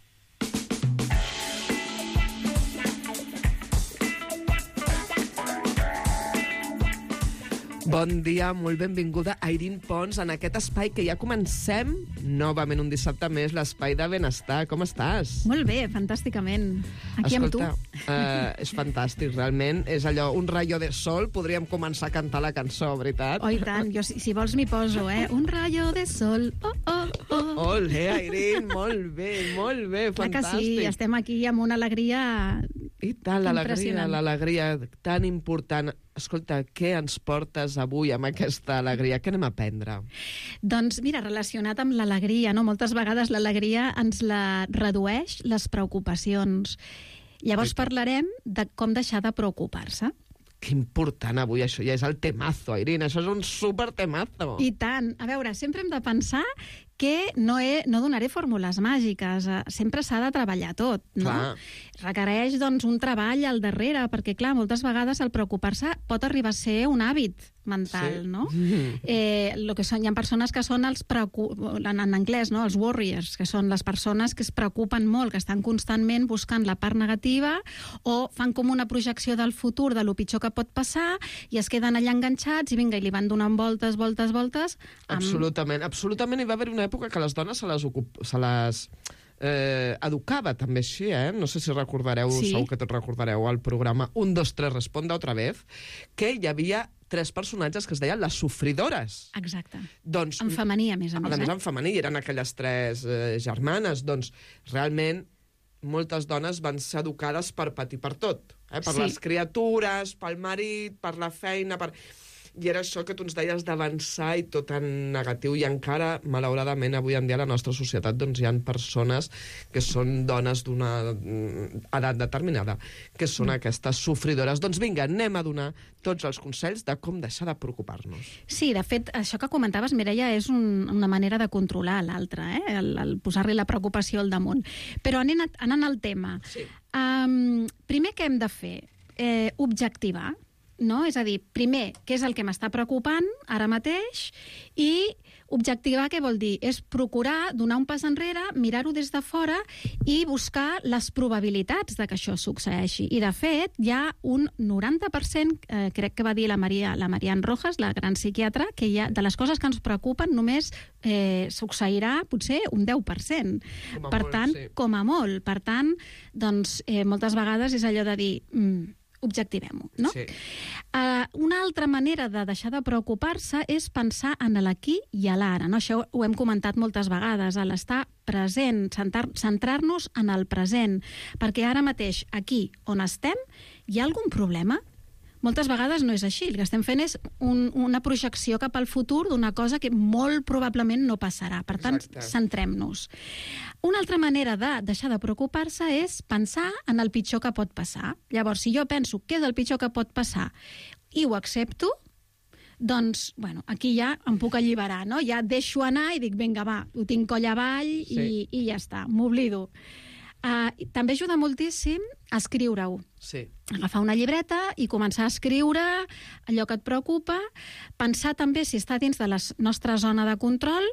Bon dia, molt benvinguda, Eirin Pons, en aquest espai que ja comencem novament un dissabte més, l'Espai de Benestar. Com estàs? Molt bé, fantàsticament. Aquí Escolta, amb tu. Uh, és fantàstic, realment. És allò, un rayo de sol. Podríem començar a cantar la cançó, veritat? Oh, i tant. Jo, si, si vols, m'hi poso, eh? Un rayo de sol. Oh, oh, oh. Olé, Eirin, molt bé, molt bé, Clar fantàstic. que sí, estem aquí amb una alegria I tant, l'alegria, impressionant. l'alegria tan important. Escolta, què ens portes avui amb aquesta alegria? Què anem a aprendre? Doncs mira, relacionat amb l'alegria, no? Moltes vegades l'alegria ens la redueix les preocupacions. Llavors parlarem de com deixar de preocupar-se. Que important avui, això ja és el temazo, Eirin, això és un super temazo. I tant. A veure, sempre hem de pensar que no, he, no donaré fórmules màgiques, sempre s'ha de treballar tot, no? Clar. Requereix, doncs, un treball al darrere, perquè, clar, moltes vegades el preocupar-se pot arribar a ser un hàbit mental, Sí. no? Eh, lo que són, hi ha persones que són els preocu... en, en anglès, no? Els warriors, que són les persones que es preocupen molt, que estan constantment buscant la part negativa o fan com una projecció del futur, de lo pitjor que pot passar, i es queden allà enganxats i vinga, i li van donant voltes, voltes, voltes. Amb... Absolutament, absolutament. Hi va haver una època que les dones se les, ocup... se les eh, educava també així, eh? No sé si recordareu, Sí. segur que tots recordareu el programa un, dos, tres, responde otra vez, que hi havia tres personatges que es deien les sofridores. Exacte. Doncs, En femení, a més a més. a més, eh? en femení, eren aquelles tres eh, germanes. Doncs, realment, moltes dones van ser educades per patir per tot. Eh? Per Sí. les criatures, pel marit, per la feina... Per... I era això que tu ens deies d'avançar i tot en negatiu. I encara, malauradament, avui en dia a la nostra societat doncs, hi ha persones que són dones d'una edat determinada, que són mm. aquestes sofridores. Doncs vinga, anem a donar tots els consells de com deixar de preocupar-nos. Sí, de fet, això que comentaves, Mireia, és un, una manera de controlar l'altre, eh? el, el posar-li la preocupació al damunt. Però anant, anant al tema, Sí. um, primer què hem de fer? Eh, objectivar, no? És a dir, primer, què és el que m'està preocupant ara mateix, i objectivar què vol dir? És procurar donar un pas enrere, mirar-ho des de fora i buscar les probabilitats de que això succeeixi. I, de fet, hi ha un noranta per cent, eh, crec que va dir la Maria, la Marian Rojas, la gran psiquiatra, que hi ha, de les coses que ens preocupen només eh, succeirà potser un deu per cent. Com a Per molt, tant, sí. com a molt. Per tant, doncs, eh, moltes vegades és allò de dir... Mm, objectivem-ho, no? Sí. Uh, una altra manera de deixar de preocupar-se és pensar en l'aquí i a l'ara, no? Això ho hem comentat moltes vegades, a l'estar present, centrar-nos en el present, perquè ara mateix, aquí on estem, hi ha algun problema? Moltes vegades no és així. El que estem fent és un, una projecció cap al futur d'una cosa que molt probablement no passarà. Per tant, Exacte. centrem-nos. Una altra manera de deixar de preocupar-se és pensar en el pitjor que pot passar. Llavors, si jo penso què és el pitjor que pot passar i ho accepto, doncs, bueno, aquí ja em puc alliberar, no? Ja deixo anar i dic, vinga, va, ho tinc coll avall Sí. i, i ja està, m'oblido. Uh, també ajuda moltíssim a escriure-ho. Sí. Agafar una llibreta i començar a escriure allò que et preocupa, pensar també si està dins de la nostra zona de control,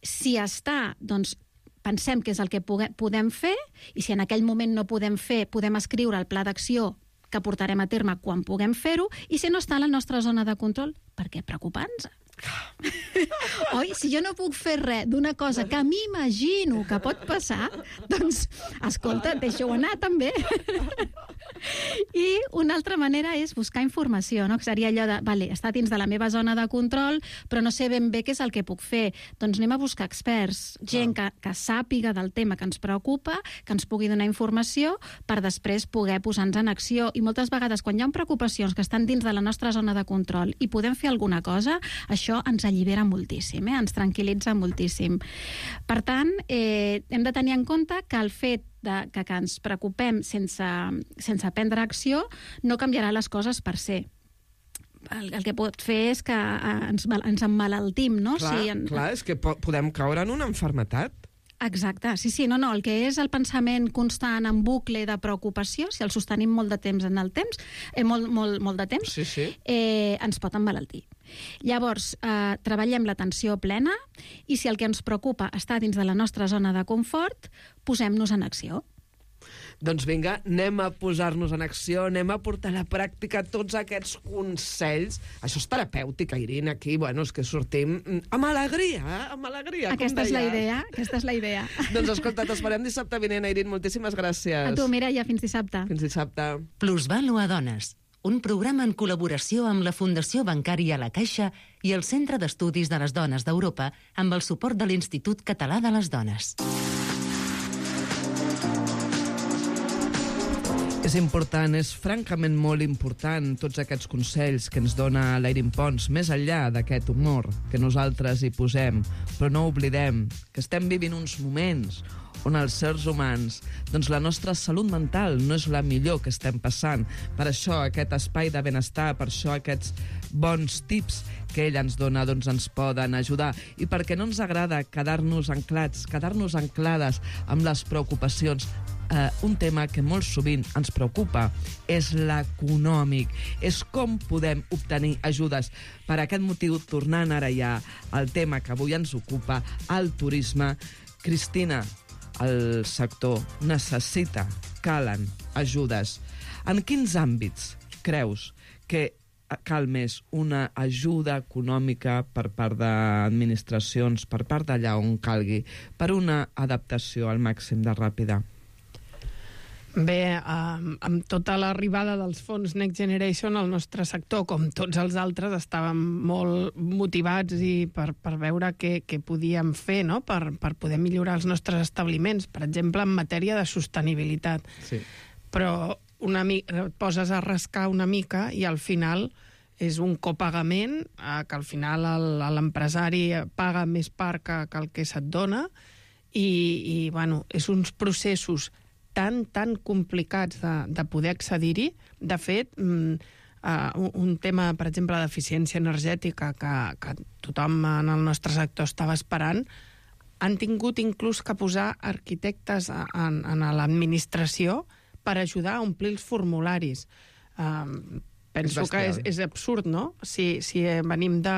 si està, doncs, pensem què és el que podem fer, i si en aquell moment no podem fer, podem escriure el pla d'acció que portarem a terme quan puguem fer-ho, i si no està a la nostra zona de control, per què preocupar-nos? Oi? Si jo no puc fer res d'una cosa que m'imagino que pot passar, doncs, escolta, deixa-ho anar també. I una altra manera és buscar informació, no? Que seria allò de, vale, està dins de la meva zona de control, però no sé ben bé què és el que puc fer. Doncs anem a buscar experts, gent que, que sàpiga del tema que ens preocupa, que ens pugui donar informació per després poder posar-nos en acció. I moltes vegades, quan hi ha preocupacions que estan dins de la nostra zona de control i podem fer alguna cosa, això ens allibera moltíssim, eh? Ens tranquil·litza moltíssim. Per tant, eh, hem de tenir en compte que el fet de, que, que ens preocupem sense, sense prendre acció no canviarà les coses per ser. El, el que pot fer és que ens, ens emmalaltim, no? Clar, si en... clar, és que po podem caure en una enfermetat. Exacte, sí, sí, no, no, el que és el pensament constant en bucle de preocupació, si el sostenim molt de temps en el temps, eh, molt, molt, molt de temps, sí, sí. Eh, ens pot emmalaltir. Llavors, eh, treballem l'atenció plena i si el que ens preocupa està dins de la nostra zona de confort, posem-nos en acció. Doncs vinga, anem a posar-nos en acció, anem a portar a la pràctica tots aquests consells. Això és terapèutic, Irene, aquí, bueno, és que sortim amb alegria, eh? Amb alegria, aquesta com és la deies. idea, aquesta és la idea. Doncs escolta, t'esperem dissabte vinent, Irene, moltíssimes gràcies. A tu, Mireia, fins dissabte. Fins dissabte. Plusvàlua Dones, un programa en col·laboració amb la Fundació Bancària La Caixa i el Centre d'Estudis de les Dones d'Europa amb el suport de l'Institut Català de les Dones. És important, és francament molt important tots aquests consells que ens dona l'Irene Pons, més enllà d'aquest humor que nosaltres hi posem, però no oblidem que estem vivint uns moments on els éssers humans, doncs la nostra salut mental no és la millor que estem passant. Per això aquest espai de benestar, per això aquests bons tips que ella ens dona, doncs ens poden ajudar. I perquè no ens agrada quedar-nos anclats, quedar-nos anclades amb les preocupacions. Uh, un tema que molt sovint ens preocupa és l'econòmic, és com podem obtenir ajudes. Per aquest motiu, tornant ara ja al tema que avui ens ocupa, el turisme, Cristina, el sector necessita, calen ajudes. En quins àmbits creus que cal més una ajuda econòmica per part d'administracions, per part d'allà on calgui, per una adaptació al màxim de ràpida? Bé, amb, amb tota l'arribada dels fons Next Generation, el nostre sector, com tots els altres, estàvem molt motivats i per, per veure què, què podíem fer, no? per, per poder millorar els nostres establiments, per exemple, en matèria de sostenibilitat. Sí. Però una mica, et poses a rascar una mica i al final és un copagament, eh, que al final l'empresari paga més part que, que el que se't dona i, i bueno, és uns processos tan, tan complicats de, de poder accedir-hi. De fet, mm, uh, un tema, per exemple, d'eficiència energètica que, que tothom en el nostre sector estava esperant, han tingut inclús que posar arquitectes en, en l'administració per ajudar a omplir els formularis. Um, Penso que és, és absurd, no? Si, si venim de...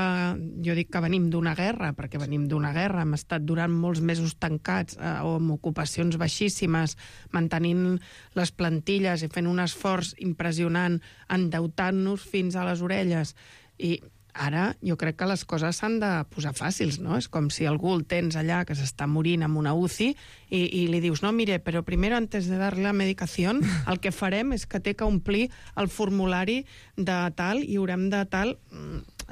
Jo dic que venim d'una guerra, perquè venim d'una guerra, hem estat durant molts mesos tancats eh, o amb ocupacions baixíssimes, mantenint les plantilles i fent un esforç impressionant, endeutant-nos fins a les orelles. I ara jo crec que les coses s'han de posar fàcils, no? És com si algú el tens allà que s'està morint amb una U C I i, i li dius, no, mire, però primero antes de darle la medicación, el que farem és que té que omplir el formulari de tal i haurem de tal...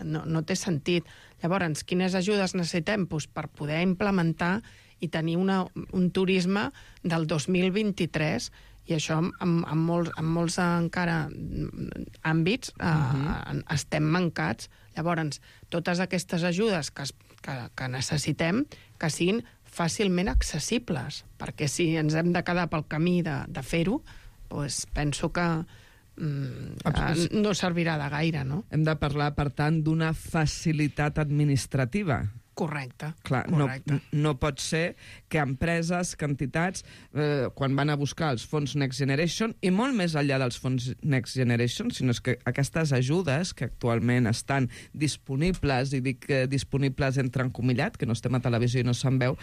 No, no té sentit. Llavors, quines ajudes necessitem? Pues per poder implementar i tenir una, un turisme del dos mil vint-i-tres, i això en, en, molts, en molts encara àmbits eh, uh-huh. estem mancats. Llavors, totes aquestes ajudes que, que, que necessitem que siguin fàcilment accessibles, perquè si ens hem de quedar pel camí de, de fer-ho, doncs penso que mm, eh, no servirà de gaire, no? Hem de parlar, per tant, d'una facilitat administrativa. Correcte. Clar, correcte. No, no pot ser que empreses, que entitats, eh, quan van a buscar els fons Next Generation, i molt més enllà dels fons Next Generation, sinó que aquestes ajudes que actualment estan disponibles, i dic eh, disponibles entre encomillat, que no estem a televisió i no se'n veu,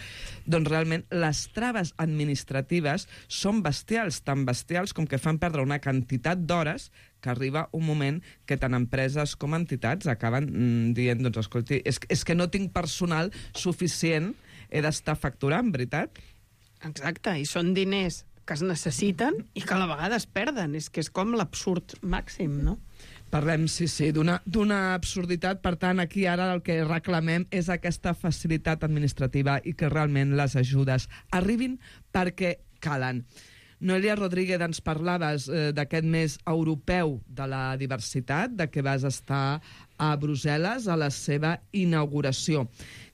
doncs realment les traves administratives són bestials, tan bestials com que fan perdre una quantitat d'hores que arriba un moment que tant empreses com entitats acaben mm, dient, doncs, escolti, és, és que no tinc personal suficient, he d'estar facturant, veritat? Exacte, i són diners que es necessiten i que a la vegada es perden. És que és com l'absurd màxim, no? Parlem, sí, sí, d'una d'una absurditat. Per tant, aquí ara el que reclamem és aquesta facilitat administrativa i que realment les ajudes arribin perquè calen. Noelia Rodríguez, ens parlaves eh, d'aquest mes europeu de la diversitat, de que vas estar a Brussel·les a la seva inauguració.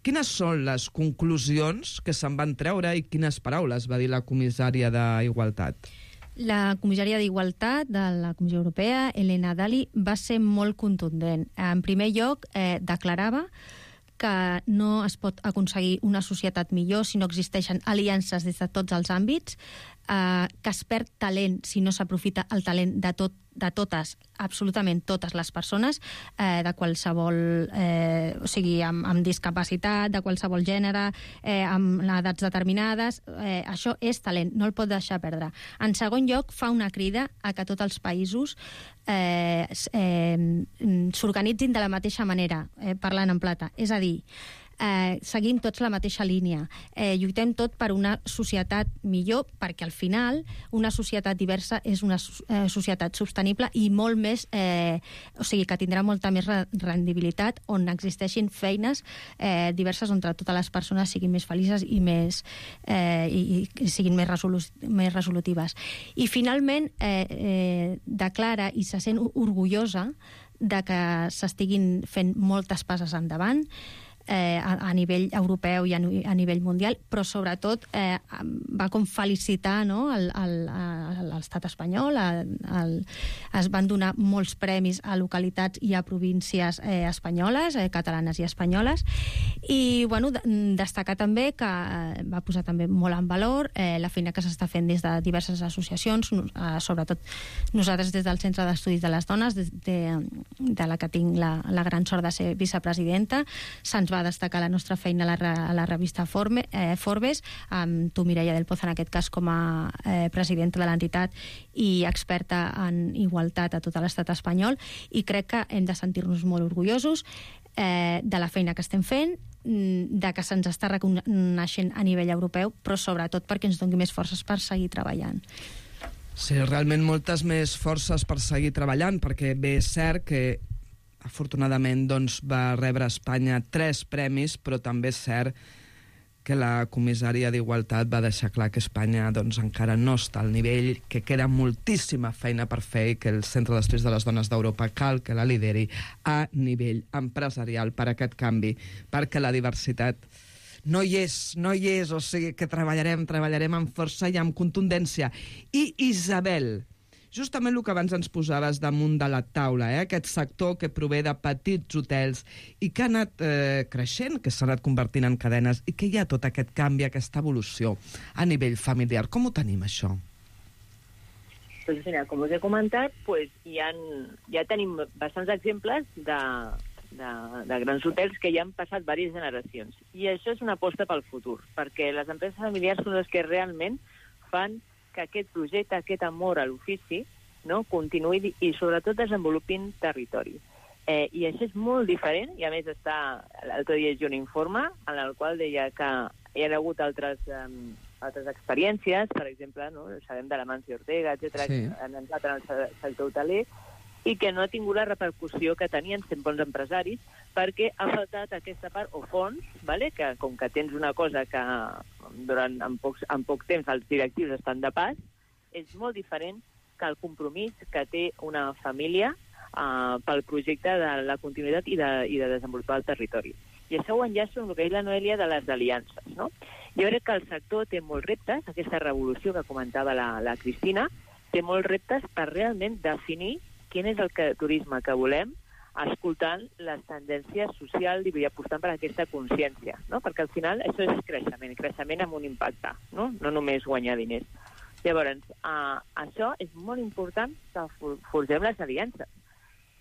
Quines són les conclusions que se'n van treure i quines paraules va dir la comissària d'Igualtat? La comissària d'Igualtat de la Comissió Europea, Elena Dalli, va ser molt contundent. En primer lloc, eh, declarava que no es pot aconseguir una societat millor si no existeixen aliances des de tots els àmbits, eh, que es perd talent si no s'aprofita el talent de, tot, de totes, absolutament totes les persones, eh, de qualsevol, eh, o sigui, amb, amb discapacitat, de qualsevol gènere, eh, amb edats determinades, eh, això és talent, no el pot deixar perdre. En segon lloc, fa una crida a que tots els països eh, eh, s'organitzin de la mateixa manera, eh, parlant en plata, és a dir, Eh, seguim tots la mateixa línia. Eh, lluitem tot per una societat millor, perquè al final una societat diversa és una eh, societat sostenible i molt més, eh, o sigui, que tindrà molta més rendibilitat, on existeixin feines eh, diverses on totes les persones siguin més felices i més eh, i, i siguin més, resolu més resolutives. I finalment eh, eh, declara i se sent orgullosa de que s'estiguin fent moltes passes endavant, Eh, a, a nivell europeu i a, a nivell mundial, però sobretot eh, va com felicitar, no, l'estat espanyol. A, el, es van donar molts premis a localitats i a províncies eh, espanyoles, eh, catalanes i espanyoles, i bueno, destacar també que eh, va posar també molt en valor eh, la feina que s'està fent des de diverses associacions, eh, sobretot nosaltres des del Centre d'Estudis de les Dones, de, de, de la que tinc la, la gran sort de ser vicepresidenta. Se'ns va destacar la nostra feina a la, a la revista Forme, eh, Forbes, amb tu, Mireia del Poz, en aquest cas com a eh, presidenta de l'entitat i experta en igualtat a tot l'estat espanyol, i crec que hem de sentir-nos molt orgullosos eh, de la feina que estem fent, de que se'ns està reconeixent a nivell europeu, però sobretot perquè ens doni més forces per seguir treballant. Sí, realment moltes més forces per seguir treballant, perquè bé és cert que afortunadament doncs, va rebre a Espanya tres premis, però també és cert que la comissària d'Igualtat va deixar clar que Espanya doncs, encara no està al nivell, que queda moltíssima feina per fer i que el Centre d'Estudis de les Dones d'Europa cal que la lideri a nivell empresarial per aquest canvi, perquè la diversitat no hi és, no hi és, o sigui que treballarem, treballarem amb força i amb contundència. I Isabel, justament el que abans ens posaves damunt de la taula, eh? Aquest sector que prové de petits hotels i que ha anat eh, creixent, que s'ha anat convertint en cadenes i que hi ha tot aquest canvi, aquesta evolució a nivell familiar. Com ho tenim, això? Pues, mira, com us he comentat, pues, hi ha, ja tenim bastants exemples de, de, de grans hotels que ja han passat diverses generacions. I això és una aposta pel futur, perquè les empreses familiars són les que realment fan que aquest projecte, aquest amor a l'ofici, no, continuï i sobretot desenvolupin territori. Eh, I això és molt diferent, i a més està, l'altre dia llegia un informe en el qual deia que hi ha hagut altres, um, altres experiències, per exemple, no, sabem de la Mancio Ortega, etcètera, sí, que han entrat en el sector hoteler, i que no ha tingut la repercussió que tenien sent bons empresaris, perquè ha faltat aquesta part, o fons, vale? Que com que tens una cosa que durant en, pocs, en poc temps els directius estan de pas, és molt diferent que el compromís que té una família uh, pel projecte de la continuïtat i de, i de desenvolupar el territori. I això ho enllaço amb el que és la Noelia de les aliances, no? Jo crec que el sector té molts reptes, aquesta revolució que comentava la, la Cristina, té molts reptes per realment definir quin és el que, turisme que volem escoltant les tendències socials i apostant per aquesta consciència, no? Perquè al final això és creixement, creixement amb un impacte, no? No només guanyar diners. Llavors, uh, això és molt important que forgem les aliances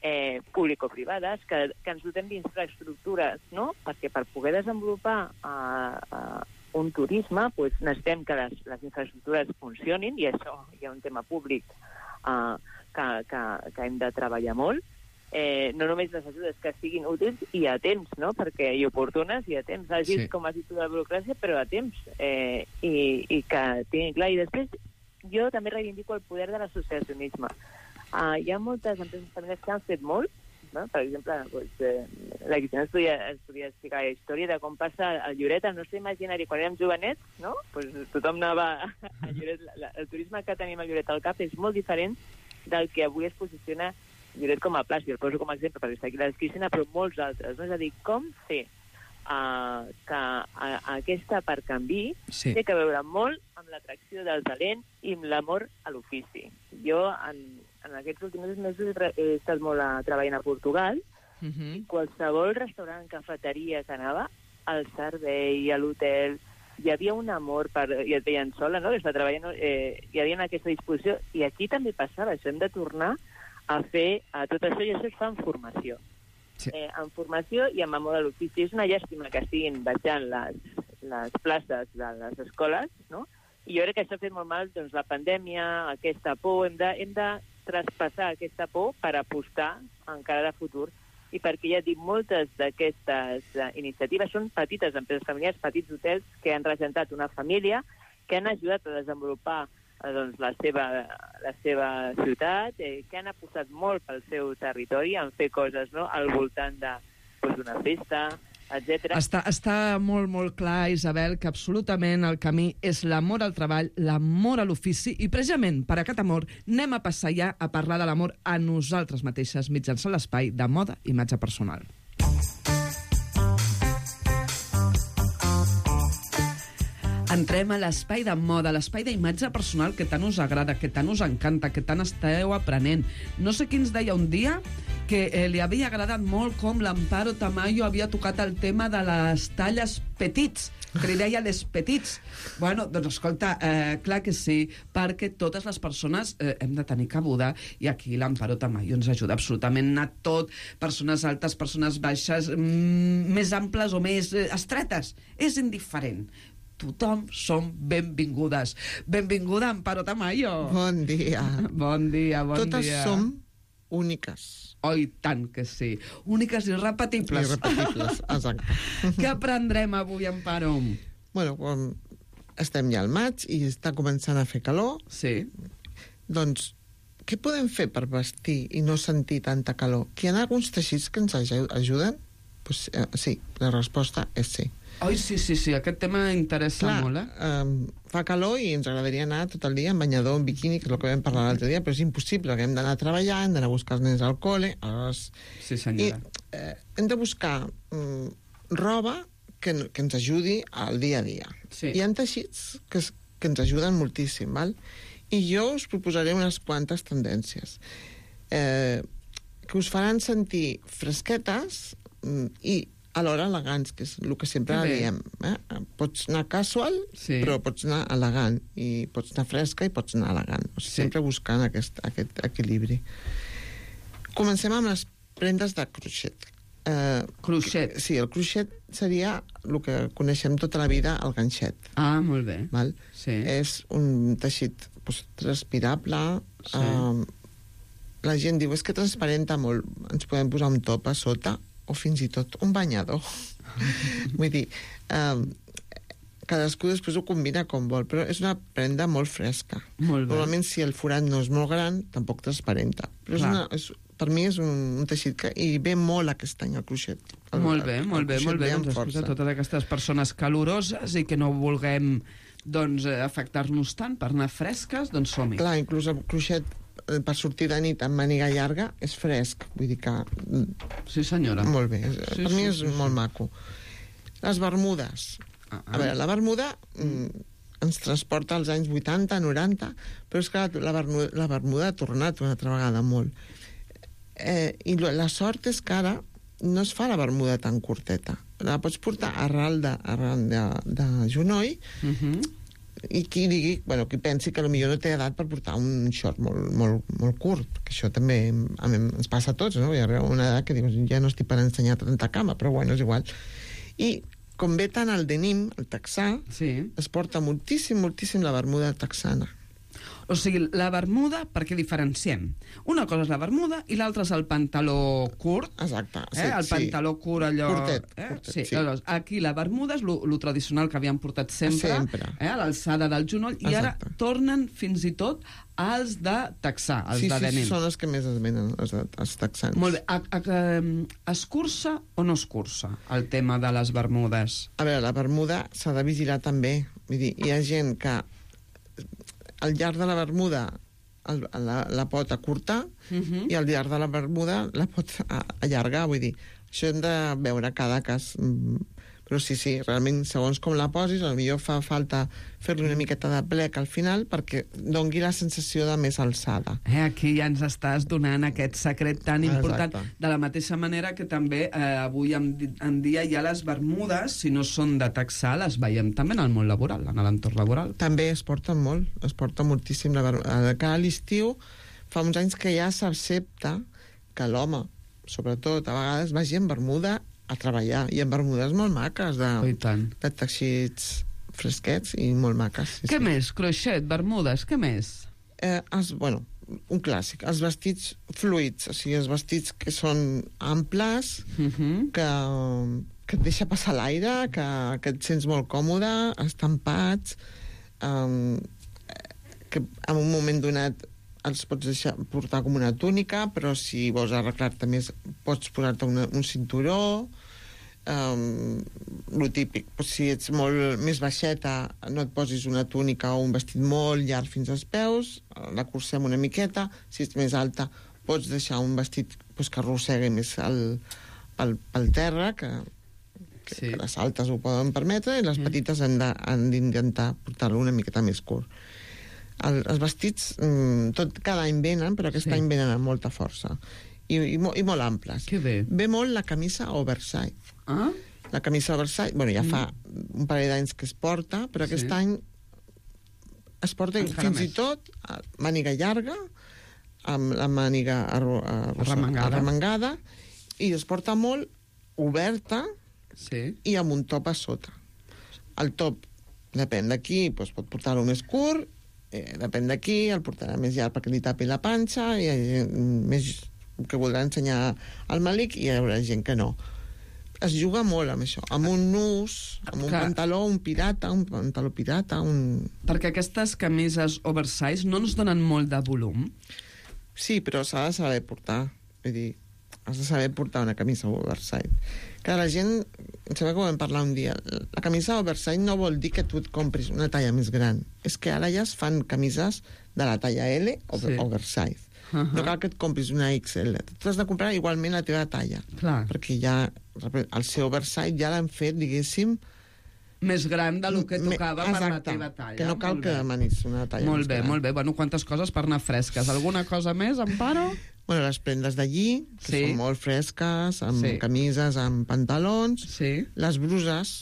eh, público-privades, que, que ens dotem d'infraestructures, no? Perquè per poder desenvolupar uh, uh, un turisme pues, necessitem que les, les infraestructures funcionin, i això hi ha un tema públic uh, que, que, que hem de treballar molt. Eh, no només les ajudes que siguin útils i a temps, no? Perquè i oportunes i a temps, hagis, sí. com has dit, la burocràcia, però a temps, eh, i, i que tinguin clar. I després jo també reivindico el poder de l'associacionisme. Uh, hi ha moltes empreses familiars que han fet molt, no? Per exemple, pues, eh, la Cristina es podia, es podia explicar la història de com passa a Lloret, al nostre imaginari, quan érem jovenets, no? Pues, tothom anava a Lloret. La, el turisme que tenim a Lloret al cap és molt diferent del que avui es posiciona Lloret com a plaç. Jo el poso com a exemple perquè està aquí la Cristina, però molts altres, no? És a dir, com fer uh, que uh, aquesta part canvi sí. té que veure molt amb l'atracció del talent i amb l'amor a l'ofici. Jo, en, en aquests últims mesos, he estat molt a, treballant a Portugal, uh-huh. i qualsevol restaurant, cafeteria que anava, al servei, a l'hotel, hi havia un amor, per, i et veien sola, no? Està treballant, eh, hi havia aquesta disposició, i aquí també passava això, hem de tornar a fer a tot això, i això es fa en formació. Sí. Eh, en formació i amb amor a l'ofici. És una llàstima que estiguin baixant les, les places de les escoles, no? I jo crec que això ha fet molt mal, doncs, la pandèmia, aquesta por, hem de, hem de traspassar aquesta por per apostar encara de futur, i perquè ja dic, moltes d'aquestes uh, iniciatives són petites empreses familiars, petits hotels que han regentat una família, que han ajudat a desenvolupar doncs, la, seva, la seva ciutat, eh, que han apostat molt pel seu territori en fer coses, no?, al voltant de, doncs, d'una festa, etcètera. Està, està molt, molt clar, Isabel, que absolutament el camí és l'amor al treball, l'amor a l'ofici, i precisament per aquest amor anem a passar ja a parlar de l'amor a nosaltres mateixes mitjançant l'espai de moda i imatge personal. Entrem a l'espai de moda, l'espai d'imatge personal que tant us agrada, que tant us encanta, que tant esteu aprenent. No sé qui ens deia un dia que eh, li havia agradat molt com l'Amparo Tamayo havia tocat el tema de les talles petits, que li deia les petits. Bueno, doncs escolta, eh, clar que sí, perquè totes les persones eh, hem de tenir cabuda, i aquí l'Amparo Tamayo ens ajuda absolutament a tot, persones altes, persones baixes, mm, més amples o més eh, estretes, és indiferent. Tothom som benvingudes. Benvinguda, Amparo Tamayo. Bon dia. Bon dia, bon Totes dia. Totes som úniques. Oh, i tant que sí. Úniques i irrepetibles. Irrepetibles, exacte. Què aprendrem avui, Amparo? Bueno, com estem ja al maig i està començant a fer calor. Sí. Doncs, què podem fer per vestir i no sentir tanta calor? Que hi ha alguns teixits que ens ajuden? Pues, eh, sí, la resposta és sí. Ai, sí, sí, sí, aquest tema interessa Clar, molt, eh? Um, fa calor i ens agradaria anar tot el dia en banyador, en biquini, que és el que vam parlar l'altre dia, però és impossible, perquè hem d'anar a treballar, hem d'anar a buscar els nens al col·le... Aleshores... Sí, senyora. I eh, hem de buscar um, roba que, que ens ajudi al dia a dia. Sí. Hi ha teixits que, que ens ajuden moltíssim, val? I jo us proposaré unes quantes tendències eh, que us faran sentir fresquetes um, i alhora elegants, que és el que sempre diem. Eh? Pots anar casual, sí. però pots anar elegant, i pots anar fresca i pots anar elegant. O sigui, sí. Sempre buscant aquest, aquest equilibri. Comencem amb les prendes de crochet. Eh, crochet? Sí, el crochet seria el que coneixem tota la vida, el ganxet. Ah, molt bé. Val? Sí. És un teixit pues, transpirable. Sí. Eh, la gent diu, és que transparenta molt, ens podem posar un top a sota, o fins i tot un banyador. Vull dir, eh, cadascú després ho combina com vol, però és una prenda molt fresca. Molt bé. Normalment, si el forat no és molt gran, tampoc transparenta. Però és una, és, per mi és un, un teixit que hi ve molt aquest any, el crochet. El, molt bé, molt bé, molt bé. Doncs escolta, totes aquestes persones caloroses i que no vulguem doncs, afectar-nos tant per anar fresques, doncs som-hi. Clar, inclús el crochet per sortir de nit amb màniga llarga és fresc, vull dir que... Sí, senyora. Molt bé, sí, per sí, mi és sí, molt sí. maco. Les bermudes. Ah, ah. A veure, la bermuda mm, ens transporta als anys vuitanta, noranta, però és que la bermuda, la bermuda ha tornat una altra vegada molt. Eh, I la sort és que ara no es fa la bermuda tan curteta. La pots portar arran de, arran de, de genoll, uh-huh. i qui digui, bueno, qui pensi que potser no té edat per portar un short molt, molt, molt curt, que això també a mi, ens passa a tots, no? Hi ha una edat que dius, ja no estic per ensenyar tanta cama, però bueno, és igual. I com ve tant el denim, el texà, sí. es porta moltíssim, moltíssim la bermuda texana. O sigui, la bermuda, perquè diferenciem. Una cosa és la bermuda i l'altra és el pantaló curt. Exacte. Sí, eh? El sí. pantaló curt, allò... Curtet. Eh? curtet sí. sí. Llavors, aquí la bermuda és lo, lo tradicional que havien portat sempre, sempre. Eh? A l'alçada del genoll, i ara Exacte. tornen fins i tot als de texà, els sí, de sí, denim. Sí, són els que més es venen, els, els texans. Molt bé. A, a, a, es cursa o no es cursa el tema de les bermudes? A veure, la bermuda s'ha de vigilar també. Vull dir, hi ha gent que al llarg de la bermuda el, la, la pot acurtar uh-huh. i al llarg de la bermuda la pot allargar, vull dir, això hem de veure cada cas. Però sí, sí, realment, segons com la posis, potser fa falta fer-li una miqueta de plec al final perquè dongui la sensació de més alçada. Eh, aquí ja ens estàs donant aquest secret tan important. Exacte. De la mateixa manera que també eh, avui en, en dia ja les bermudes, si no són de texà, les veiem també en el món laboral, en l'entorn laboral. També es porten molt, es porta moltíssim la bermuda. Cada l'estiu fa uns anys que ja s'accepta que l'home, sobretot, a vegades vagi en bermuda a treballar, i amb bermudes molt maques de, oh, de teixits fresquets i molt maques. Sí, què sí. més? Croixet, bermudes, què més? Eh, els, bueno, un clàssic, els vestits fluids, o sigui, els vestits que són amples, uh-huh. que, que et deixa passar l'aire, que, que et sents molt còmode, estampats, um, que en un moment donat els pots deixar portar com una túnica, però si vols arreglar-te més pots posar-te una, un cinturó, um, lo típic. Però si ets molt més baixeta, no et posis una túnica o un vestit molt llarg fins als peus, la cursem una miqueta. Si ets més alta, pots deixar un vestit pues, que arrossegui més el, pel, pel terra, que, que, sí. que les altes ho poden permetre, i les mm. petites han d'intentar portar-lo una miqueta més curt. El, els vestits, tot, cada any venen, però aquest sí. any venen amb molta força. I, i, i molt amples. Que bé. Ve molt la camisa oversize. Ah? La camisa oversize, bueno, ja mm. fa un parell d'anys que es porta, però aquest sí. any es porta encara fins més. I tot màniga llarga, amb la màniga arro, arro, arremangada. arremangada, i es porta molt oberta sí. i amb un top a sota. El top, depèn d'aquí, doncs pot portar-lo més curt, eh, depèn d'aquí, el portarà més llarg perquè li tapi la panxa, i hi ha gent més que voldrà ensenyar el malic, i hi haurà gent que no. Es juga molt amb això, amb un nus, amb un que... pantaló, un pirata, un pantaló pirata, un... Perquè aquestes camises oversize no ens donen molt de volum? Sí, però s'ha de saber portar. Vull dir, has de saber portar una camisa oversize. Que la gent, em sembla que ho vam parlar un dia, la camisa oversize no vol dir que tu et compris una talla més gran. És que ara ja es fan camises de la talla L over, sí. oversize. Uh-huh. No cal que et compris una X L. Tu has de comprar igualment la teva talla. Clar. Perquè ja el seu oversize ja l'han fet, diguéssim, més gran del que tocava Exacte, per la teva talla. Que no cal que demanis una talla molt més bé, gran. Molt bé, molt bé. Bueno, quantes coses per anar fresques. Alguna cosa més, Amparo? Bueno, les prendes d'allí, que sí. són molt fresques, amb sí. camises, amb pantalons. Sí. Les bruses,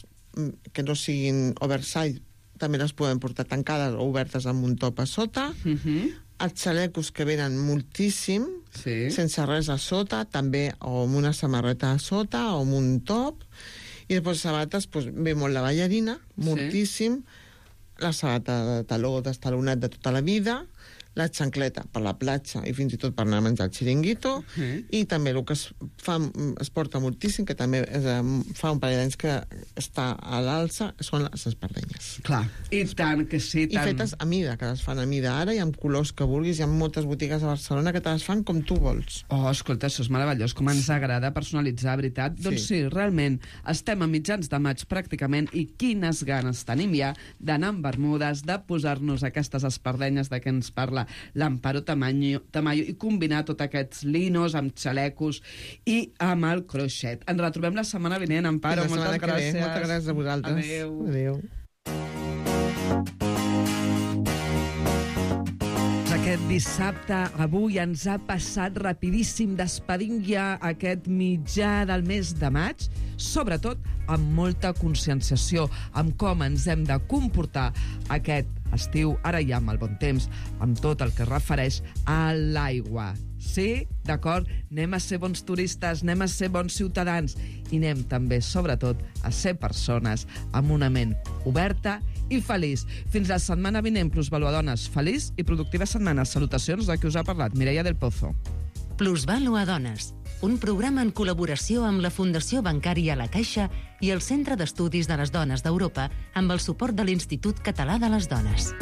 que no siguin oversize, també les podem portar tancades o obertes amb un top a sota. Uh-huh. Els xalecos, que venen moltíssim, sí. sense res a sota, també, o amb una samarreta a sota, o amb un top. I després sabates, doncs, ve molt la ballarina, moltíssim, sí. la sabata de taló d'estalonat de tota la vida, la xancleta per la platja i fins i tot per anar a menjar el xiringuito, uh-huh. i també el que es, fa, es porta moltíssim, que també és, fa un parell d'anys que està a l'alça, són les espardenyes. Clar, i tant que sí. I tant... fetes a mida, que les fan a mida ara, i amb colors que vulguis, hi ha moltes botigues a Barcelona que te les fan com tu vols. Oh, escolta, això és meravellós, com ens agrada personalitzar, veritat? Sí. Doncs sí, realment, estem a mitjans de maig pràcticament, i quines ganes tenim ja d'anar amb bermudes, de posar-nos aquestes espardenyes de què ens parla l'Amparo Tamayo, Tamayo, i combinar tots aquests linos amb xalecos i amb el croixet. Ens retrobem la setmana vinent, Amparo. Moltes gràcies. Moltes gràcies a vosaltres. Adéu. Adéu. Aquest Aquest dissabte, avui, ens ha passat rapidíssim. Despedim ja aquest mitjà del mes de maig, sobretot amb molta conscienciació, amb com ens hem de comportar aquest estiu, ara ja amb el bon temps, amb tot el que es refereix a l'aigua. Sí, d'acord, anem a ser bons turistes, anem a ser bons ciutadans i anem també, sobretot, a ser persones amb una ment oberta i feliç. Fins la setmana vinent, Plusvaluadones. Feliç i productiva setmana. Salutacions de qui us ha parlat, Mireia del Pozo. Plusvaluadones, un programa en col·laboració amb la Fundació Bancària La Caixa i el Centre d'Estudis de les Dones d'Europa amb el suport de l'Institut Català de les Dones.